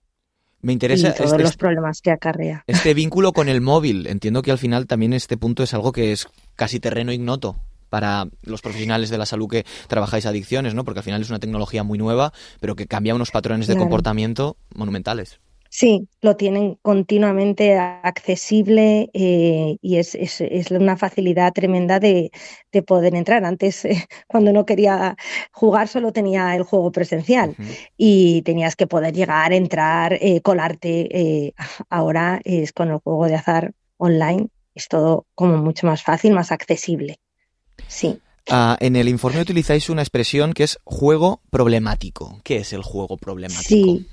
Me interesa y todos este, los problemas que acarrea. este vínculo con el móvil. Entiendo que al final también este punto es algo que es casi terreno ignoto para los profesionales de la salud que trabajáis adicciones, ¿no? Porque al final es una tecnología muy nueva, pero que cambia unos patrones de Claro. comportamiento monumentales. Sí, lo tienen continuamente accesible eh, y es, es, es una facilidad tremenda de, de poder entrar. Antes, eh, cuando no quería jugar, solo tenía el juego presencial Uh-huh. y tenías que poder llegar, entrar, eh, colarte. Eh, ahora es con el juego de azar online, es todo como mucho más fácil, más accesible. Sí. Uh, en el informe utilizáis una expresión que es juego problemático. ¿Qué es el juego problemático? Sí.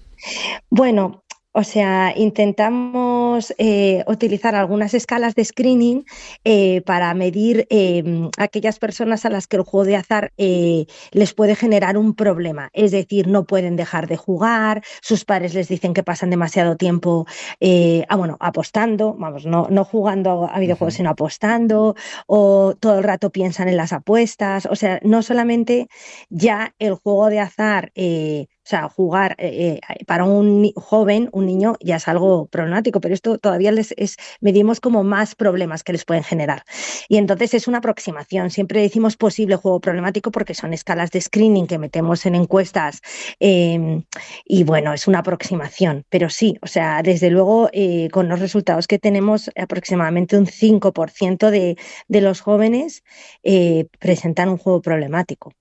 Bueno, o sea, intentamos eh, utilizar algunas escalas de screening eh, para medir eh, aquellas personas a las que el juego de azar eh, les puede generar un problema. Es decir, no pueden dejar de jugar, sus padres les dicen que pasan demasiado tiempo eh, ah, bueno, apostando, vamos, no, no jugando a videojuegos, Uh-huh. sino apostando, o todo el rato piensan en las apuestas. O sea, no solamente ya el juego de azar... Eh, O sea, jugar eh, para un ni- joven, un niño, ya es algo problemático, pero esto todavía les es, medimos como más problemas que les pueden generar. Y entonces es una aproximación. Siempre decimos posible juego problemático porque son escalas de screening que metemos en encuestas eh, y bueno, es una aproximación. Pero sí, o sea, desde luego eh, con los resultados que tenemos, aproximadamente un cinco por ciento de, de los jóvenes eh, presentan un juego problemático.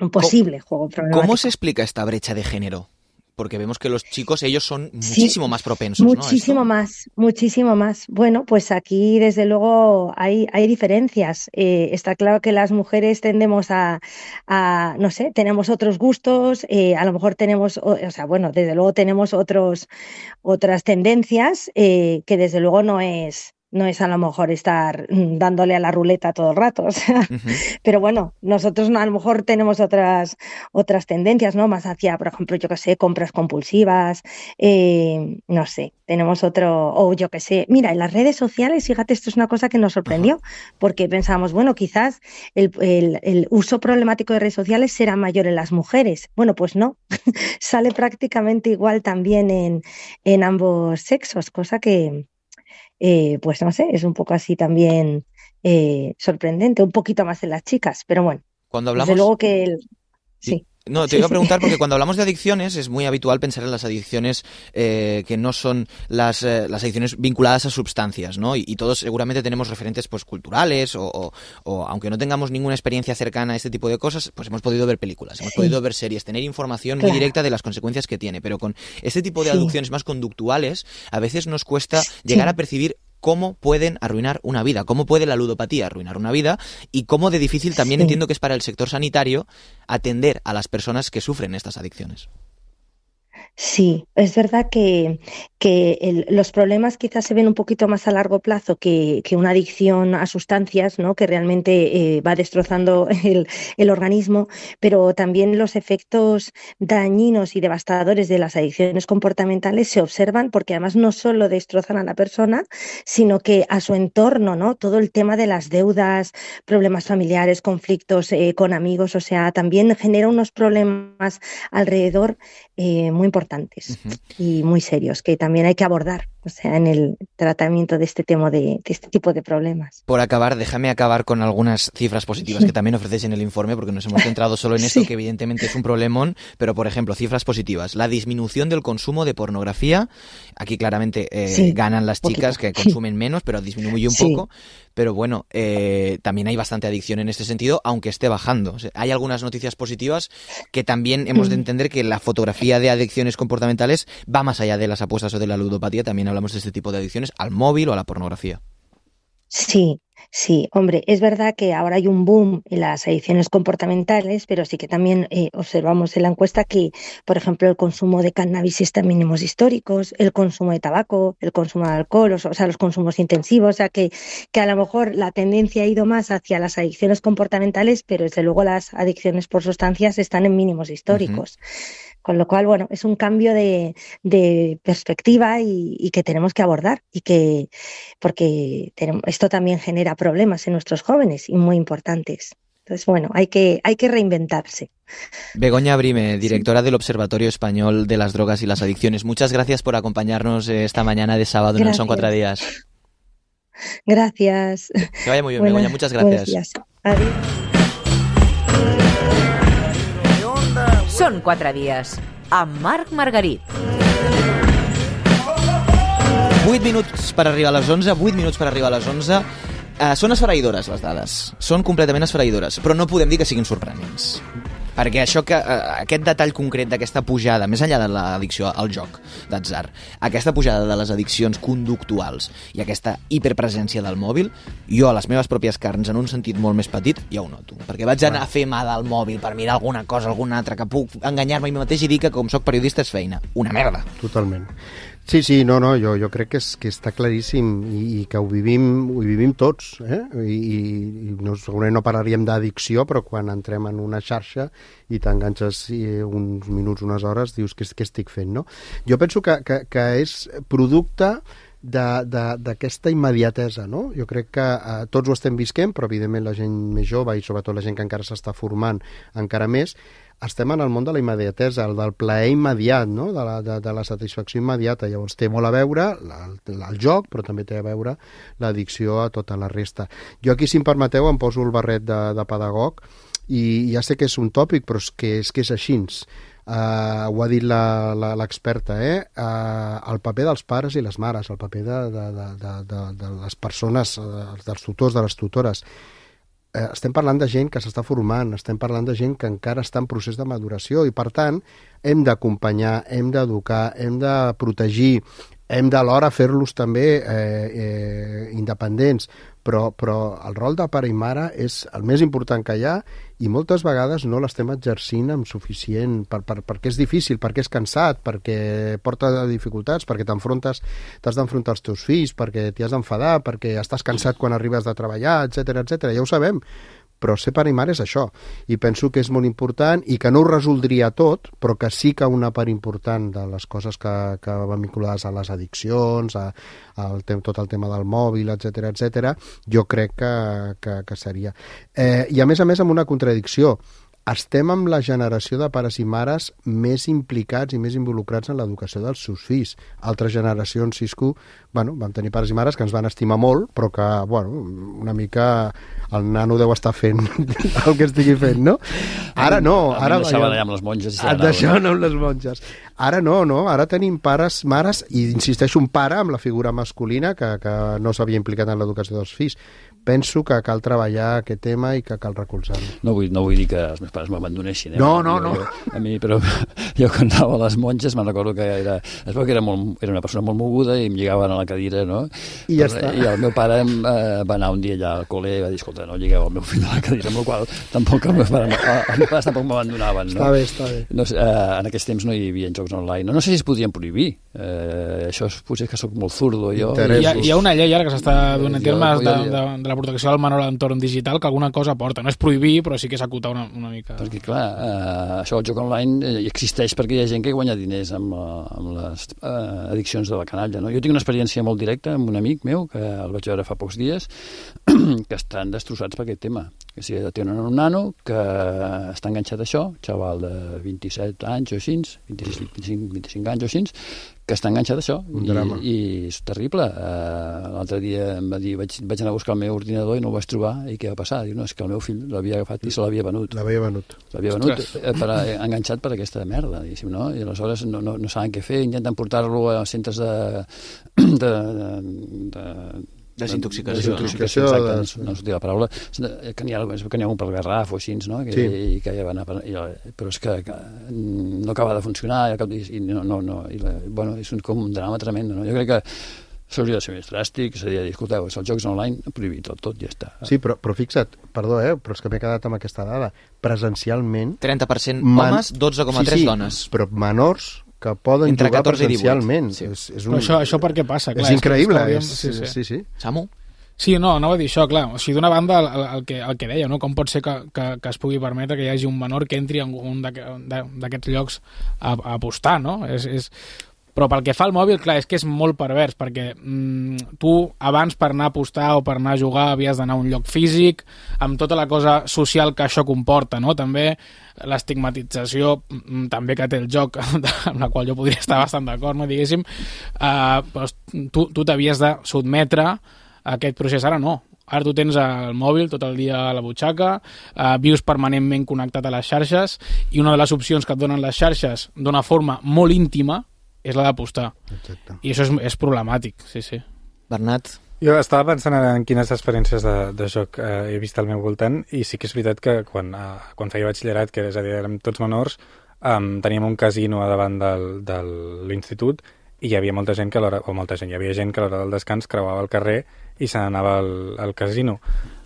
Un posible juego problemático. ¿Cómo se explica esta brecha de género? Porque vemos que los chicos, ellos son Sí, muchísimo más propensos, ¿no? a muchísimo esto. más, muchísimo más. Bueno, pues aquí desde luego hay, hay diferencias. Eh, está claro que las mujeres tendemos a, a no sé, tenemos otros gustos, eh, a lo mejor tenemos, o, o sea, bueno, desde luego tenemos otros, otras tendencias eh, que desde luego no es, no es a lo mejor estar mm, dándole a la ruleta todo el rato. O sea, Ujú. pero bueno, nosotros no, a lo mejor tenemos otras, otras tendencias, ¿no? Más hacia, por ejemplo, yo qué sé, compras compulsivas, eh, no sé, tenemos otro, o yo qué sé. Mira, en las redes sociales, fíjate, esto es una cosa que nos sorprendió, porque pensábamos, bueno, quizás el, el, el uso problemático de redes sociales será mayor en las mujeres. Bueno, pues no, sale prácticamente igual también en, en ambos sexos, cosa que, eh, pues no sé, es un poco así también eh, sorprendente, un poquito más en las chicas, pero bueno, Cuando desde hablamos, luego que el... sí, Sí. No, te iba a preguntar porque cuando hablamos de adicciones es muy habitual pensar en las adicciones eh, que no son las, eh, las adicciones vinculadas a sustancias, ¿no? Y, y todos seguramente tenemos referentes pues culturales o, o, o aunque no tengamos ninguna experiencia cercana a este tipo de cosas, pues hemos podido ver películas, hemos sí. podido ver series, tener información claro. muy directa de las consecuencias que tiene, pero con este tipo de sí. adicciones más conductuales a veces nos cuesta sí. llegar a percibir cómo pueden arruinar una vida, cómo puede la ludopatía arruinar una vida y cómo de difícil también sí. entiendo que es para el sector sanitario atender a las personas que sufren estas adicciones. Sí, es verdad que, que el, los problemas quizás se ven un poquito más a largo plazo que, que una adicción a sustancias, ¿no? Que realmente eh, va destrozando el, el organismo, pero también los efectos dañinos y devastadores de las adicciones comportamentales se observan porque además no solo destrozan a la persona, sino que a su entorno, ¿no? Todo el tema de las deudas, problemas familiares, conflictos eh, con amigos, o sea, también genera unos problemas alrededor eh, muy importantes. Uh-huh. Y muy serios, que también hay que abordar, o sea, en el tratamiento de este tema de, de este tipo de problemas. Por acabar, déjame acabar con algunas cifras positivas que también ofrecéis en el informe, porque nos hemos centrado solo en esto, sí. que evidentemente es un problemón, pero por ejemplo, cifras positivas. La disminución del consumo de pornografía, aquí claramente eh, sí, ganan las chicas poquito. que consumen menos, pero disminuye un sí. poco. Pero bueno, eh, también hay bastante adicción en este sentido, aunque esté bajando. O sea, hay algunas noticias positivas que también hemos de entender que la fotografía de adicciones comportamentales va más allá de las apuestas o de la ludopatía. También hablamos de este tipo de adicciones al móvil o a la pornografía. Sí, sí, hombre, es verdad que ahora hay un boom en las adicciones comportamentales, pero sí que también eh, observamos en la encuesta que, por ejemplo, el consumo de cannabis está en mínimos históricos, el consumo de tabaco, el consumo de alcohol, o sea, los consumos intensivos, o sea, que, que a lo mejor la tendencia ha ido más hacia las adicciones comportamentales, pero desde luego las adicciones por sustancias están en mínimos históricos. Uh-huh. Con lo cual, bueno, es un cambio de, de perspectiva y, y que tenemos que abordar y que porque tenemos, esto también genera problemas en nuestros jóvenes y muy importantes. Entonces, bueno, hay que, hay que reinventarse. Begoña Brime, directora sí. del Observatorio Español de las Drogas y las Adicciones. Muchas gracias por acompañarnos esta mañana de sábado gracias. en el Son Cuatro Días. Gracias. Que vaya muy bien, Begoña. Muchas gracias. Adiós. Són quatre dies, amb Marc Margarit. vuit minuts per arribar a les onze, vuit minuts per arribar a les onze. Uh, són esfereïdores, les dades. Són completament esfereïdores, però no podem dir que siguin sorprenents. Perquè això que, uh, aquest detall concret d'aquesta pujada, més enllà de l'addicció al joc d'atzar, aquesta pujada de les addiccions conductuals i aquesta hiperpresència del mòbil, jo a les meves pròpies carns, en un sentit molt més petit, ja ho noto. Perquè vaig anar a fer mà del mòbil per mirar alguna cosa, alguna altra, que puc enganyar-me a mi mateix i dir que com soc periodista és feina. Una merda. Totalment. Sí, sí, no, no, jo, jo crec que, és, que està claríssim i, i que ho vivim, ho vivim tots, eh? I, i no, segurament no parlaríem d'addicció, però quan entrem en una xarxa i t'enganxes eh, uns minuts, unes hores, dius què, què estic fent, no? Jo penso que, que, que és producte d'aquesta immediatesa, no? Jo crec que eh, tots ho estem visquent, però evidentment la gent més jove i sobretot la gent que encara s'està formant encara més, estem en el món de la immediatesa, el del plaer immediat, no? de, la, de, de la satisfacció immediata. Llavors té molt a veure la, la, el joc, però també té a veure l'addicció a tota la resta. Jo aquí, si em permeteu, em poso el barret de, de pedagog i ja sé que és un tòpic, però és que és, que és així. Uh, ho ha dit l'experta, eh? Uh, el paper dels pares i les mares, el paper de, de, de, de, de, de les persones, uh, dels tutors, de les tutores. Eh, estem parlant de gent que s'està formant, estem parlant de gent que encara està en procés de maduració i, per tant, hem d'acompanyar, hem d'educar, hem de protegir, hem d'alhora fer-los també eh, eh, independents, però, però el rol de pare i mare és el més important que hi ha i moltes vegades no l'estem exercint amb suficient, per, per, perquè és difícil, perquè és cansat, perquè porta dificultats, perquè t'enfrontes, t'has d'enfrontar als teus fills, perquè t'hi has d'enfadar, perquè estàs cansat quan arribes de treballar, etcètera, etcètera. Ja ho sabem, però ser pare i mare és això, i penso que és molt important i que no ho resoldria tot, però que sí que una part important de les coses que, que van vinculades a les addiccions, a, a el, tot el tema del mòbil, etcètera, etcètera, jo crec que, que, que seria. Eh, I a més a més amb una contradicció, estem amb la generació de pares i mares més implicats i més involucrats en l'educació dels seus fills. Altres generacions, Cisco, bueno, vam tenir pares i mares que ens van estimar molt, però que, bueno, una mica el nano deu estar fent el que estigui fent, no? Ara no, a mi ara... em deixaven allà amb les monges. Et deixaven amb les monges. Ara no, no, ara tenim pares, mares, i insisteixo, un pare amb la figura masculina que, que no s'havia implicat en l'educació dels fills. Penso que cal treballar aquest tema i que cal recolzar-lo. No vull, no vull dir que els meus pares m'abandonessin. Eh? No, no, no. Jo, a mi, però jo quan anava a les monges me'n recordo que era, es veu que era, molt, era una persona molt moguda i em lligaven a la cadira, no? I ja està. I el meu pare em, eh, va anar un dia allà al col·le i va dir, escolta, no lligueu el meu fill a la cadira, amb la qual tampoc els meus pares, els meus pares tampoc m'abandonaven. No? Està bé, està bé. No sé, eh, en aquells temps no hi havia jocs online. No, no sé si es podien prohibir. Eh, això és, potser que sóc molt zurdo jo. Hi ha, hi ha una llei ara que s'està donant Jo- termes de, jo- de, de la protecció del menor a l'entorn digital que alguna cosa porta. No és prohibir, però sí que és acotar una, una mica. Perquè, clar, eh, això del joc online eh, existeix perquè hi ha gent que guanya diners amb, la, amb les eh, addiccions de la canalla. No? Jo tinc una experiència molt directa amb un amic meu, que el vaig veure fa pocs dies, que estan destrossats per aquest tema. Que si tenen un nano que està enganxat a això, xaval de vint-i-set anys o així, vint-i-sis, vint-i-cinc, vint-i-cinc anys o així, que està enganxat a això. Un I, drama. I és terrible. Uh, L'altre dia em va dir, vaig, vaig anar a buscar el meu ordinador i no el vaig trobar. I què va passar? Diu, no, és que el meu fill l'havia agafat i se l'havia venut. L'havia venut. L'havia venut eh, per, eh, enganxat per aquesta merda, diguéssim, no? I aleshores no, no, no saben què fer, intenten portar-lo a centres de... de, de, de Desintoxicació. Desintoxicació, no? exacte, no, no sortia la paraula. Que n'hi ha, que n'hi ha un pel Garraf o així, no? Que, Sí. i, que ja va anar, per- i, però és que, que no acaba de funcionar i, al cap- i no, no, no, i la, bueno, és un, com un drama tremendo, no? Jo crec que s'hauria de ser més dràstic, s'hauria de dir, escolteu, els jocs online, prohibit tot, tot, ja està. Sí, però, però fixa't, perdó, eh, però és que m'he quedat amb aquesta dada. Presencialment... trenta per cent man- homes, dotze coma tres sí, sí, dones. però menors que poden Entre jugar catorze i divuit. presencialment. Sí. És, és un... Però això, això per què passa? Clar, és increïble. que És, sí, sí. sí, sí. Samu? Sí, no, anava a dir això, clar. O sigui, d'una banda, el, el, que, el que deia, no? Com pot ser que, que, que es pugui permetre que hi hagi un menor que entri en un d'aquests llocs a, a apostar, no? És, és... Però pel que fa al mòbil, clar, és que és molt pervers, perquè mm, tu abans per anar a apostar o per anar a jugar havies d'anar a un lloc físic, amb tota la cosa social que això comporta, no? També l'estigmatització mm, també que té el joc, amb la qual jo podria estar bastant d'acord, no? Diguéssim, eh, però tu, tu t'havies de sotmetre a aquest procés, ara no. Ara tu tens el mòbil tot el dia a la butxaca, eh, vius permanentment connectat a les xarxes i una de les opcions que et donen les xarxes d'una forma molt íntima és la d'apostar. Exacte. I això és, és problemàtic, sí, sí. Bernat? Jo estava pensant en quines experiències de, de joc eh, he vist al meu voltant i sí que és veritat que quan, eh, quan feia batxillerat, que és a dir, érem tots menors, eh, teníem un casino a davant del, de l'institut i hi havia molta gent que a l'hora, o molta gent, hi havia gent que a l'hora del descans creuava el carrer i se n'anava al, al casino.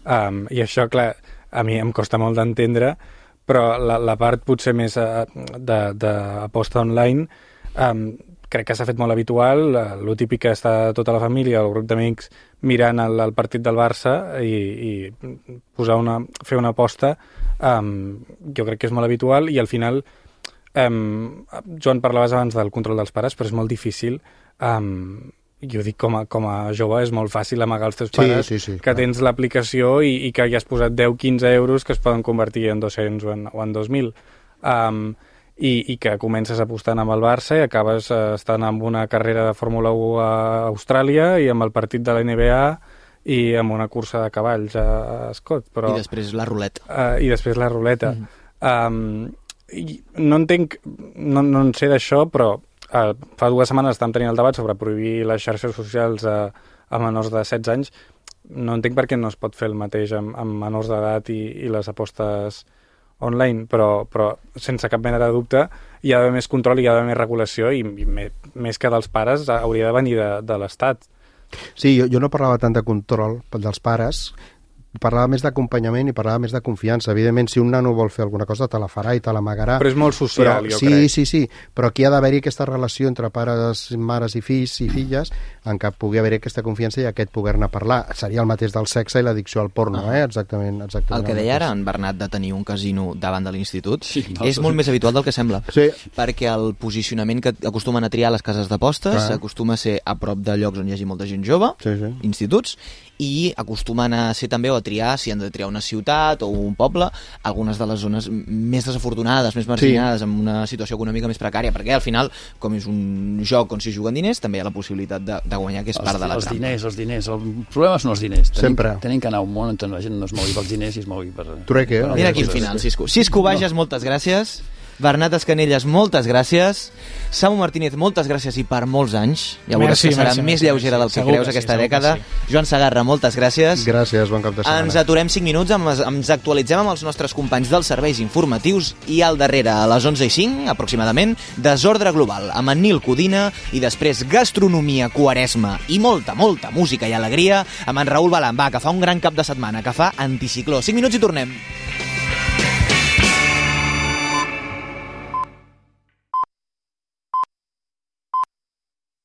Um, I això, clar, a mi em costa molt d'entendre, però la, la part potser més uh, d'aposta online um, crec que s'ha fet molt habitual, lo típic que està tota la família, el grup d'amics, mirant el, el partit del Barça i, i posar una, fer una aposta, um, jo crec que és molt habitual i al final, um, Joan, parlaves abans del control dels pares, però és molt difícil, um, jo dic com a, com a jove, és molt fàcil amagar els teus pares, sí, sí, sí, que clar. tens l'aplicació i, i que hi has posat deu quinze euros que es poden convertir en dos-cents o en, o en dos mil. Um, I, i que comences apostant amb el Barça i acabes eh, estant amb una carrera de Fórmula u a Austràlia i amb el partit de la N B A i amb una cursa de cavalls a, a Scott. Però, I després la ruleta. Uh, I després la ruleta. Mm. Um, i no entenc, no, no en sé d'això, però uh, fa dues setmanes estàvem tenint el debat sobre prohibir les xarxes socials a, a menors de setze anys. No entenc per què no es pot fer el mateix amb, amb menors d'edat i, i les apostes online, però, però sense cap mena de dubte hi ha d'haver més control, hi ha d'haver més regulació i, i me, més que dels pares hauria de venir de, de l'Estat. Sí, jo, jo no parlava tant de control dels pares, parlava més d'acompanyament i parlava més de confiança. Evidentment, si un nano vol fer alguna cosa, te la farà i te l'amagarà. Però és molt social, però, jo sí, crec. Sí, sí, sí, però aquí ha d'haver-hi aquesta relació entre pares, mares i fills i filles en què pugui haver aquesta confiança i aquest poder-ne parlar. Seria el mateix del sexe i l'addicció al porno, Ah. eh? Exactament, exactament. El que deia ara en Bernat de tenir un casino davant de l'institut Sí, és molt més habitual del que sembla. Sí. Perquè el posicionament que acostumen a triar les cases d'apostes Clar. acostuma a ser a prop de llocs on hi hagi molta gent jove, Sí, sí. instituts, i acostumen a ser també o a triar, si han de triar una ciutat o un poble, algunes de les zones més desafortunades, més marginades, sí. amb una situació econòmica més precària, perquè al final, com és un joc on s'hi juguen diners, també hi ha la possibilitat de, de guanyar, que és els, part de la els trampa. Diners, els diners, el problema són els diners. Tenim, Sempre. Tenim que anar a un món on la gent no es mogui pels diners i es mogui per... Trueque, eh? Mira quin final, Cisco. Cisco Bages, moltes gràcies. Bernat Escanelles, moltes gràcies. Samu Martínez, moltes gràcies i per molts anys. Ja veuràs Merci, que serà merci, més merci, lleugera del que segur creus que sí, aquesta segur que dècada. sí. Joan Sagarra, moltes gràcies. Gràcies, bon cap de setmana. Ens aturem cinc minuts, amb, ens actualitzem amb els nostres companys dels serveis informatius i al darrere, a les onze i cinc, aproximadament, Desordre Global, amb en Nil Codina i després gastronomia, quaresma i molta, molta música i alegria amb en Raül Balán, va, que fa un gran cap de setmana, que fa anticicló. cinc minuts i tornem.